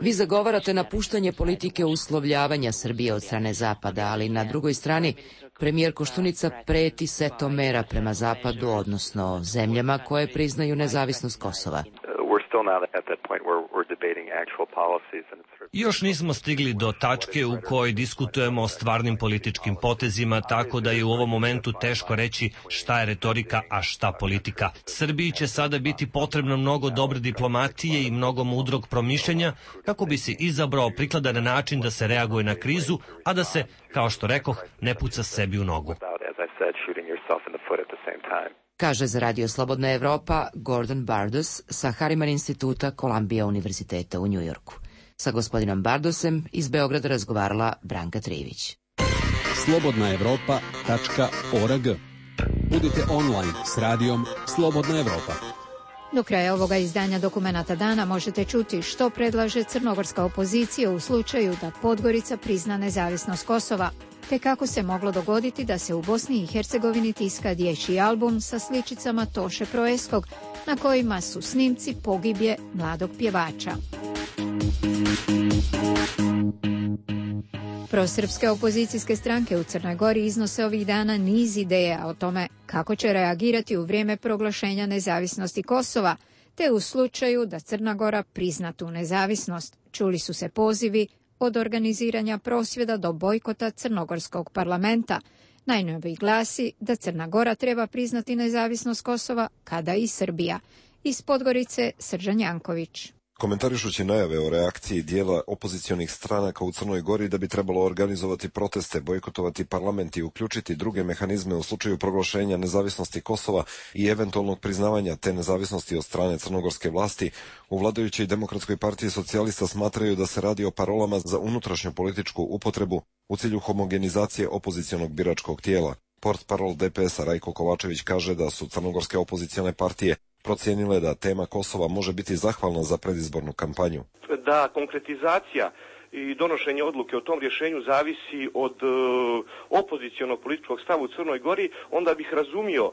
Vi zagovarate napuštanje politike uslovljavanja Srbije od strane Zapada, ali na drugoj strani premijer Koštunica preti setom mera prema Zapadu, odnosno zemljama koje priznaju nezavisnost Kosova. Još nismo stigli do tačke u kojoj diskutujemo o stvarnim političkim potezima, tako da je u ovom momentu teško reći šta je retorika, a šta politika. Srbiji će sada biti potrebno mnogo dobre diplomatije i mnogo mudrog promišljanja kako bi se izabrao prikladan način da se reaguje na krizu, a da se, kao što rekoh, ne puca sebi u nogu. Kaže za Radio Slobodna Evropa Gordon Bardos sa Harriman instituta Columbia univerziteta u Njujorku. Sa gospodinom Bardosem iz Beograda razgovarala Branka Trivić. slobodna evropa tačka org. Budite online s radijom Slobodna Evropa. Do kraja ovoga izdanja Dokumenata dana možete čuti što predlaže crnogorska opozicija u slučaju da Podgorica prizna nezavisnost Kosova, te kako se moglo dogoditi da se u Bosni i Hercegovini tiska dječji album sa sličicama Toše Proeskog, na kojima su snimci pogibje mladog pjevača. Prosrpske opozicijske stranke u Crnoj Gori iznose ovih dana niz ideja o tome kako će reagirati u vrijeme proglašenja nezavisnosti Kosova, te u slučaju da Crna Gora prizna tu nezavisnost. Čuli su se pozivi od organiziranja prosvjeda do bojkota crnogorskog parlamenta. Najnoviji glasi da Crna Gora treba priznati nezavisnost Kosova kada i Srbija. Iz Podgorice Srđan Janković. Komentarišući najave o reakciji dijela opozicionih stranaka u Crnoj Gori da bi trebalo organizovati proteste, bojkotovati parlament i uključiti druge mehanizme u slučaju proglašenja nezavisnosti Kosova i eventualnog priznavanja te nezavisnosti od strane crnogorske vlasti, u vladajućoj Demokratskoj partiji socijalista smatraju da se radi o parolama za unutrašnju političku upotrebu u cilju homogenizacije opozicionog biračkog tijela. Portparol D P S-a Rajko Kovačević kaže da su crnogorske opozicione partije procijenile da tema Kosova može biti zahvalna za predizbornu kampanju. Da konkretizacija i donošenje odluke o tom rješenju zavisi od e, opozicionog političkog stava u Crnoj Gori, onda bih razumio e,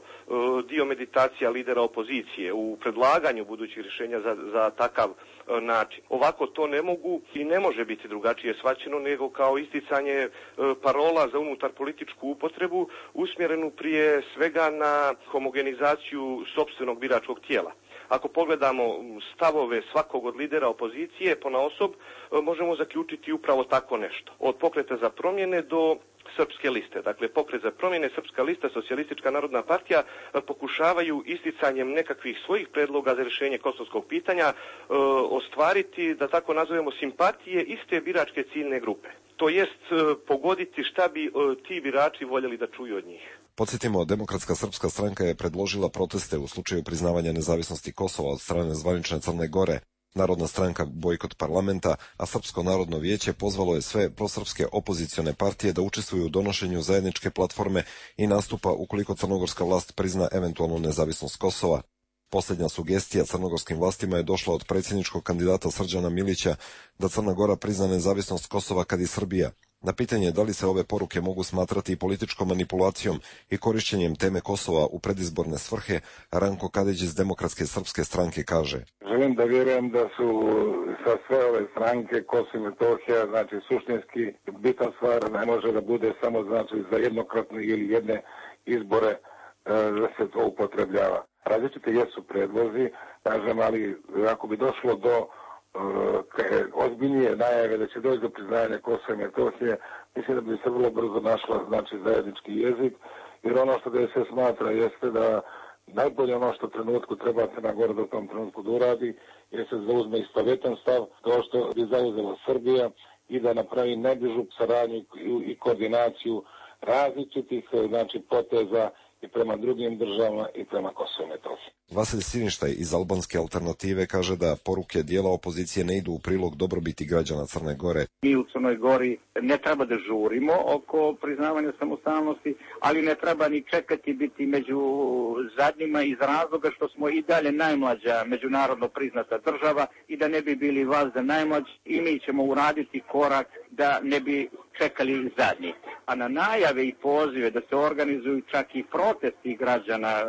dio meditacija lidera opozicije u predlaganju budućih rješenja za, za takav e, način. Ovako to ne mogu i ne može biti drugačije shvaćeno nego kao isticanje e, parola za unutar političku upotrebu usmjerenu prije svega na homogenizaciju sopstvenog biračkog tijela. Ako pogledamo stavove svakog od lidera opozicije ponaosob, možemo zaključiti upravo tako nešto. Od Pokreta za promjene do Srpske liste. Dakle, Pokret za promjene, Srpska lista, Socijalistička narodna partija pokušavaju isticanjem nekakvih svojih predloga za rješenje kosovskog pitanja e, ostvariti, da tako nazovemo, simpatije iste biračke ciljne grupe. To jest e, pogoditi šta bi e, ti birači voljeli da čuju od njih. Podsjetimo, Demokratska srpska stranka je predložila proteste u slučaju priznavanja nezavisnosti Kosova od strane zvanične Crne Gore. Narodna stranka bojkot parlamenta, a Srpsko narodno vijeće pozvalo je sve prosrpske opozicione partije da učestvuju u donošenju zajedničke platforme i nastupa ukoliko crnogorska vlast prizna eventualnu nezavisnost Kosova. Posljednja sugestija crnogorskim vlastima je došla od predsjedničkog kandidata Srđana Milića da Crna Gora prizna nezavisnost Kosova kad i Srbija. Na pitanje da li se ove poruke mogu smatrati i političkom manipulacijom i korišćenjem teme Kosova u predizborne svrhe, Ranko Kadić iz Demokratske srpske stranke kaže: Želim da vjerujem da su sa sve ove stranke Kosovo i Metohija, znači suštinski bitna stvar ne može da bude samo znači za jednokratne ili jedne izbore e, da se to upotrebljava. Različite jesu predlozi, kažem, ali ako bi došlo do ozbiljnije najave da će doći do priznanja Kosova i Metohije, mislim da bi se vrlo brzo našla znači zajednički jezik, jer ono što D S S smatra jeste da najbolje ono što trenutku treba Crna Gora da u tom trenutku da uradi, jer se zauzme istovetan stav kao što bi zauzela Srbija i da napravi najbližu saradnju i koordinaciju različitih znači poteza i prema drugim državama i prema Kosovu i Metohiji. Vasilij Siništaj iz Albanske alternative kaže da poruke dijela opozicije ne idu u prilog dobrobiti građana Crne Gore. Mi u Crnoj Gori ne treba da žurimo oko priznavanja samostalnosti, ali ne treba ni čekati biti među zadnjima iz razloga što smo i dalje najmlađa međunarodno priznata država i da ne bi bili vazda najmlađi i mi ćemo uraditi korak da ne bi čekali zadnji. A na najave i pozive da se organizuju čak i protesti građana e,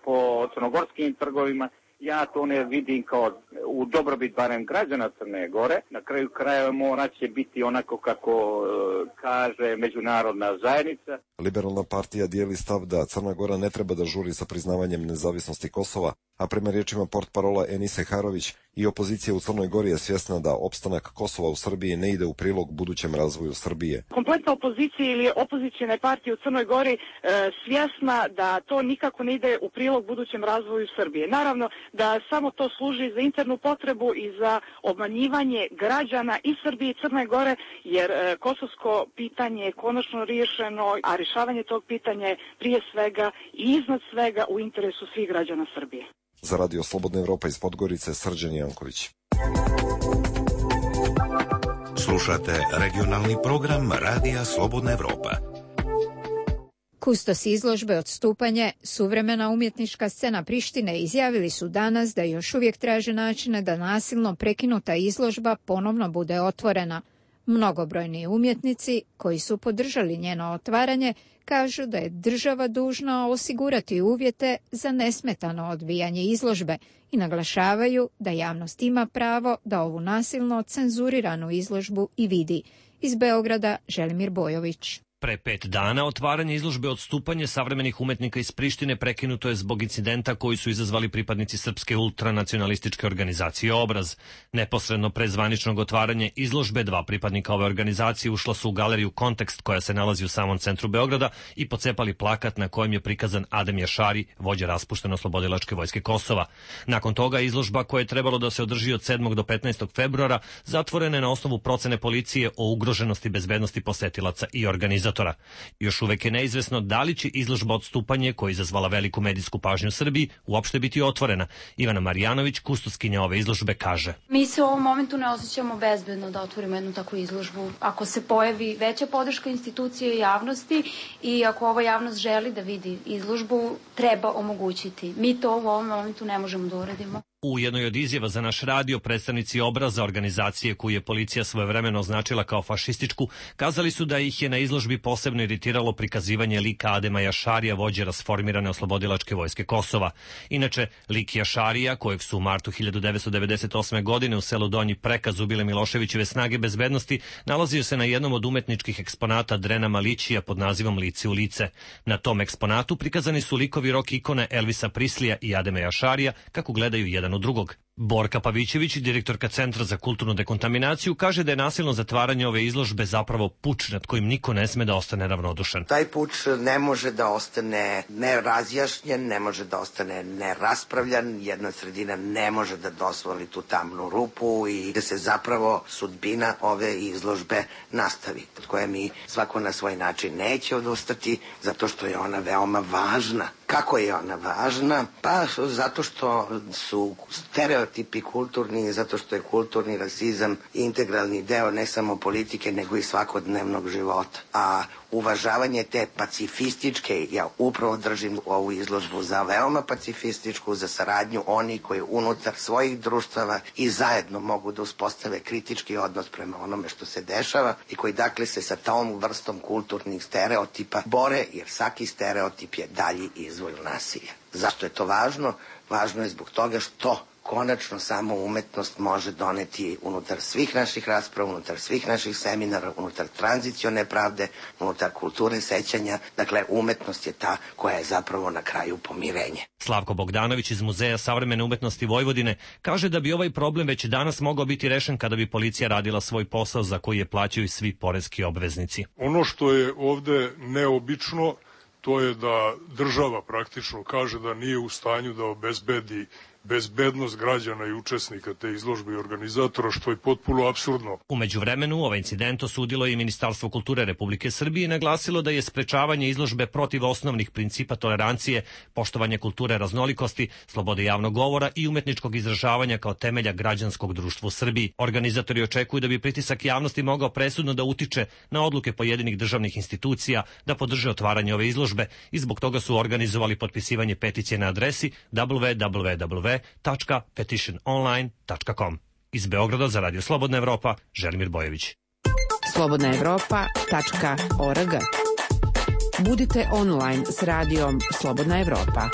po crnogorskim trgovima, ja to ne vidim kao u dobrobit barem građana Crne Gore. Na kraju krajeva morat će biti onako kako e, kaže međunarodna zajednica. Liberalna partija dijeli stav da Crna Gora ne treba da žuri sa priznavanjem nezavisnosti Kosova, a prema riječima portparola Enise Harović i opozicija u Crnoj Gori je svjesna da opstanak Kosova u Srbiji ne ide u prilog budućem razvoju Srbije. Kompletna opozicija ili opozicijne partije u Crnoj Gori e, svjesna da to nikako ne ide u prilog budućem razvoju Srbije. Naravno da samo to služi za internu potrebu i za obmanjivanje građana i Srbije i Crne Gore, jer e, kosovsko pitanje je konačno riješeno, a rješavanje tog pitanja je prije svega i iznad svega u interesu svih građana Srbije. Za Radio Slobodna Evropa iz Podgorice, Srđan Janković. Slušate regionalni program Radija Slobodna Evropa. Kustos izložbe Odstupanje, suvremena umjetnička scena Prištine, izjavili su danas da još uvijek traže načine da nasilno prekinuta izložba ponovno bude otvorena. Mnogobrojni umjetnici koji su podržali njeno otvaranje kažu da je država dužna osigurati uvjete za nesmetano odvijanje izložbe i naglašavaju da javnost ima pravo da ovu nasilno cenzuriranu izložbu i vidi. Iz Beograda Želimir Bojović. Pre pet dana otvaranje izložbe Odstupanje savremenih umetnika iz Prištine prekinuto je zbog incidenta koji su izazvali pripadnici srpske ultranacionalističke organizacije Obraz. Neposredno pre zvaničnog otvaranja izložbe dva pripadnika ove organizacije ušla su u galeriju Kontekst koja se nalazi u samom centru Beograda i pocepali plakat na kojem je prikazan Adem Jašari, vođa raspušteno-oslobodilačke vojske Kosova. Nakon toga izložba koja je trebalo da se održi od sedmog do petnaestog februara zatvorena je na osnovu procene policije o ugroženosti bezbednosti posetilaca i organizatora. Još uvek je neizvesno da li će izložba Odstupanje, koja je izazvala veliku medijsku pažnju u Srbiji, uopšte biti otvorena. Ivana Marjanović, kustoskinja ove izložbe, kaže: Mi se u ovom momentu ne osjećamo bezbedno da otvorimo jednu takvu izložbu. Ako se pojavi veća podrška institucije i javnosti i ako ova javnost želi da vidi izložbu, treba omogućiti. Mi to u ovom momentu ne možemo da uradimo. U jednoj od izjava za naš radio predstavnici Obraza, organizacije koju je policija svojevremeno označila kao fašističku, kazali su da ih je na izložbi posebno iritiralo prikazivanje lika Adema Jašarija, vođe rasformirane oslobodilačke vojske Kosova. Inače, lik Jašarija, kojeg su u martu hiljadu devetsto devedeset osme. godine u selu Donji Prekaz ubile Miloševićeve snage bezbednosti, nalazio se na jednom od umetničkih eksponata Drena Malićija pod nazivom Lice u lice. Na tom eksponatu prikazani su likovi rok ikone Elvisa Prislija i Adema Jašarija kako gledaju jedan od drugog. Borka Pavićević, direktorka Centra za kulturnu dekontaminaciju, kaže da je nasilno zatvaranje ove izložbe zapravo puč nad kojim niko ne sme da ostane ravnodušan. Taj puč ne može da ostane nerazjašnjen, ne može da ostane neraspravljan, jedna sredina ne može da dozvoli tu tamnu rupu i da se zapravo sudbina ove izložbe nastavi, od koje mi svako na svoj način neće odustati, zato što je ona veoma važna. Kako je ona važna? Pa zato što su stereotipi kulturni, zato što je kulturni rasizam integralni deo ne samo politike, nego i svakodnevnog života. A uvažavanje te pacifističke, ja upravo držim ovu izložbu za veoma pacifističku, za saradnju oni koji unutar svojih društava i zajedno mogu da uspostave kritički odnos prema onome što se dešava i koji dakle se sa tom vrstom kulturnih stereotipa bore, jer svaki stereotip je dalji izvor nasilja. Zašto je to važno? Važno je zbog toga što konačno samo umetnost može doneti unutar svih naših rasprava, unutar svih naših seminara, unutar tranzicione pravde, unutar kulture sećanja. Dakle, umetnost je ta koja je zapravo na kraju pomirenje. Slavko Bogdanović iz Muzeja savremene umetnosti Vojvodine kaže da bi ovaj problem već danas mogao biti rešen kada bi policija radila svoj posao za koji je plaćaju svi poreski obveznici. Ono što je ovde neobično, to je da država praktično kaže da nije u stanju da obezbedi bezbednost građana i učesnika te izložbe i organizatora, što je potpuno apsurdno. U međuvremenu ovaj incident osudilo je i Ministarstvo kulture Republike Srbije i naglasilo da je sprečavanje izložbe protiv osnovnih principa tolerancije, poštovanje kulture raznolikosti, slobode javnog govora i umetničkog izražavanja kao temelja građanskog društva u Srbiji. Organizatori očekuju da bi pritisak javnosti mogao presudno da utiče na odluke pojedinih državnih institucija da podrže otvaranje ove izložbe i zbog toga su organizovali potpisivanje peticije na adresi w w w tačka petition online tačka com. Iz Beograda za Radio Slobodna Evropa, Želimir Bojević. slobodna evropa tačka org. Budite online s radijom Slobodna Evropa.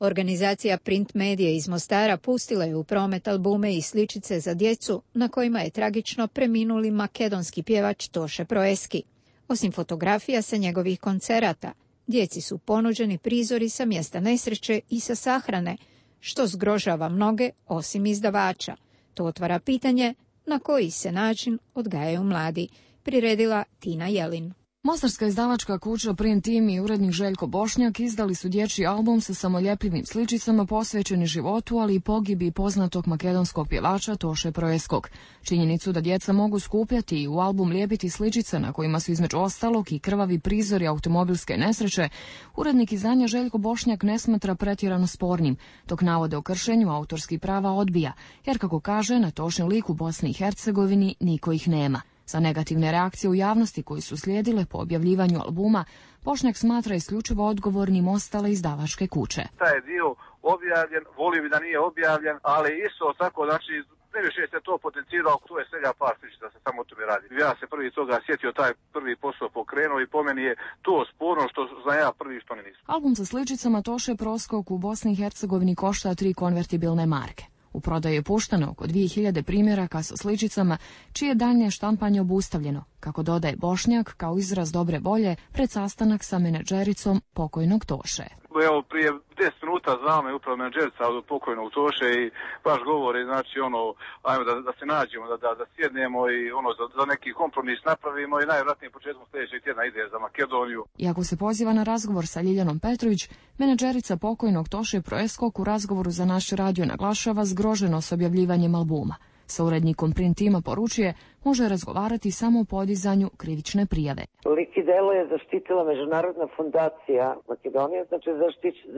Organizacija Print Medija iz Mostara pustila je u promet albume i sličice za djecu na kojima je tragično preminuli makedonski pjevač Toše Proeski. Osim fotografija sa njegovih koncerata, djeci su ponuđeni prizori sa mjesta nesreće i sa sahrane, što zgrožava mnoge osim izdavača. To otvara pitanje na koji se način odgajaju mladi, priredila Tina Jelin. Mostarska izdavačka kuća Print Team i urednik Željko Bošnjak izdali su dječji album sa samoljepljivim sličicama posvećeni životu, ali i pogibi poznatog makedonskog pjevača Toše Proeskog. Činjenicu da djeca mogu skupljati i u album lijepiti sličice na kojima su između ostalog i krvavi prizori automobilske nesreće, urednik izdanja Željko Bošnjak ne smatra pretjerano spornim, dok navode o kršenju autorskih prava odbija, jer kako kaže, na Tošin lik u Bosni i Hercegovini niko ih nema. Za negativne reakcije u javnosti koji su slijedile po objavljivanju albuma, Bošnjak smatra isključivo odgovornim ostale izdavačke kuće. Taj je dio objavljen, volio bi da nije objavljen, ali isto tako, znači, najviše se to potencirao, to je svega par sličica se samo o tome radi. Ja se prvi toga sjetio, taj prvi posao pokrenuo i po meni je to sporno što znam ja prvi što ne nisam. Album sa sličicama Toše Proeskog u Bosni i Hercegovini košta tri konvertibilne marke. U prodaju je puštano oko dvije hiljade primjeraka sa sličicama, čije daljnje štampanje obustavljeno, kako dodaje Bošnjak kao izraz dobre volje pred sastanak sa menadžericom pokojnog Toše. Evo, prije deset minuta znao me upravo menadžerica od pokojnog Toše i baš govori, znači, ono, ajmo da, da se nađemo, da, da, da sjednemo i ono, za, za neki kompromis napravimo i najvjerojatnije početkom sljedećeg tjedna ide za Makedoniju. Iako se poziva na razgovor sa Ljiljanom Petrović, menadžerica pokojnog Toše Proeskog u razgovoru za naš radio naglašava zgroženo s objavljivanjem albuma. Sa urednikom Print Tima poručuje, može razgovarati samo o podizanju krivične prijave. Lik i delo je zaštitila Međunarodna fondacija Makedonije, znači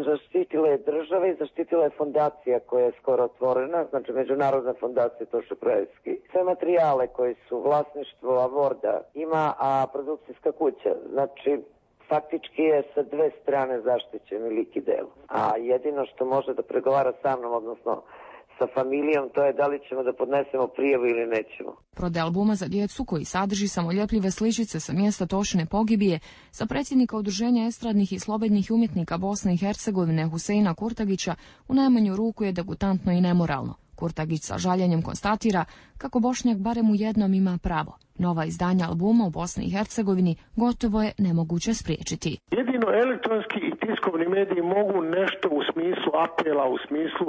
zaštitila je država i zaštitila je fondacija koja je skoro otvorena, znači Međunarodna fondacija Toše Proeski. Sve materijale koji su vlasništvo Avorda ima, a produkcijska kuća, znači faktički je sa dve strane zaštićen lik i delo. A jedino što može da pregovara sa mnom, odnosno sa familijom, to je da li ćemo da podnesemo prijavu ili nećemo. Prodaja albuma za djecu koji sadrži samoljepljive sličice sa mjesta Tošine pogibije za predsjednika Udruženja estradnih i slobodnih umjetnika Bosne i Hercegovine Huseina Kurtagića u najmanju ruku je degutantno i nemoralno. Kurtagić sa žaljenjem konstatira kako Bošnjak barem u jednom ima pravo. Nova izdanja albuma u Bosni i Hercegovini gotovo je nemoguće spriječiti. Jedino elektronski i tiskovni mediji mogu nešto u smislu apela, u smislu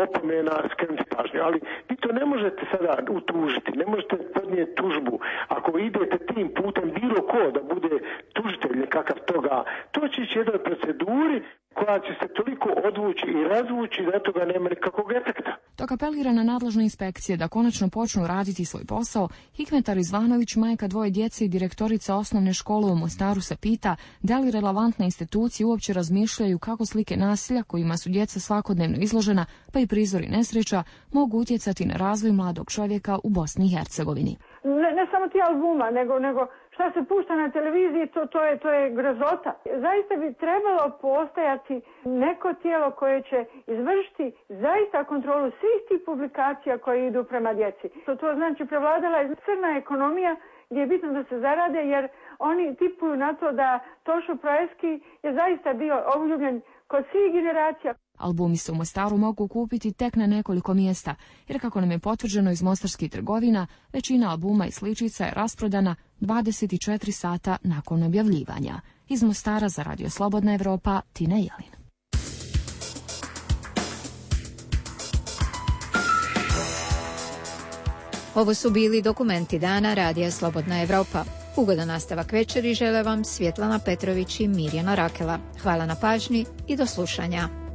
opomena skrenuti pažnju, ali vi to ne možete sada utužiti, ne možete podnijeti tužbu. Ako idete tim putem bilo ko da bude tužitelj nekakav toga, to će ići jednoj proceduri koja će se toliko odvući i razvući da toga nema nikakvog efekta. Dok apelira na nadležne inspekcije da konačno počnu raditi svoj posao, Hikmetar Izvanović, majka dvoje djece i direktorica osnovne škole u Mostaru, se pita da li relevantne institucije uopće razmišljaju kako slike nasilja kojima su djeca svakodnevno izložena, pa i prizori nesreća, mogu utjecati na razvoj mladog čovjeka u Bosni i Hercegovini. Ne, ne samo ti albuma, nego, nego šta se pušta na televiziji, to, to, je, to je grozota. Zaista bi trebalo postojati neko tijelo koje će izvršiti zaista kontrolu svih tih publikacija koje idu prema djeci. To, to znači prevladala je crna ekonomija gdje je bitno da se zarade, jer oni tipuju na to da Tošo Proeski je zaista bio obljubljen kod svih generacija. Albumi se u Mostaru mogu kupiti tek na nekoliko mjesta, jer kako nam je potvrđeno iz mostarskih trgovina, većina albuma i sličica je rasprodana dvadeset četiri sata nakon objavljivanja. Iz Mostara za Radio Slobodna Evropa, Tina Jelin. Ovo su bili dokumenti dana Radija Slobodna Evropa. Ugodan nastavak večeri žele vam Svjetlana Petrović i Mirjana Rakela. Hvala na pažnji i do slušanja.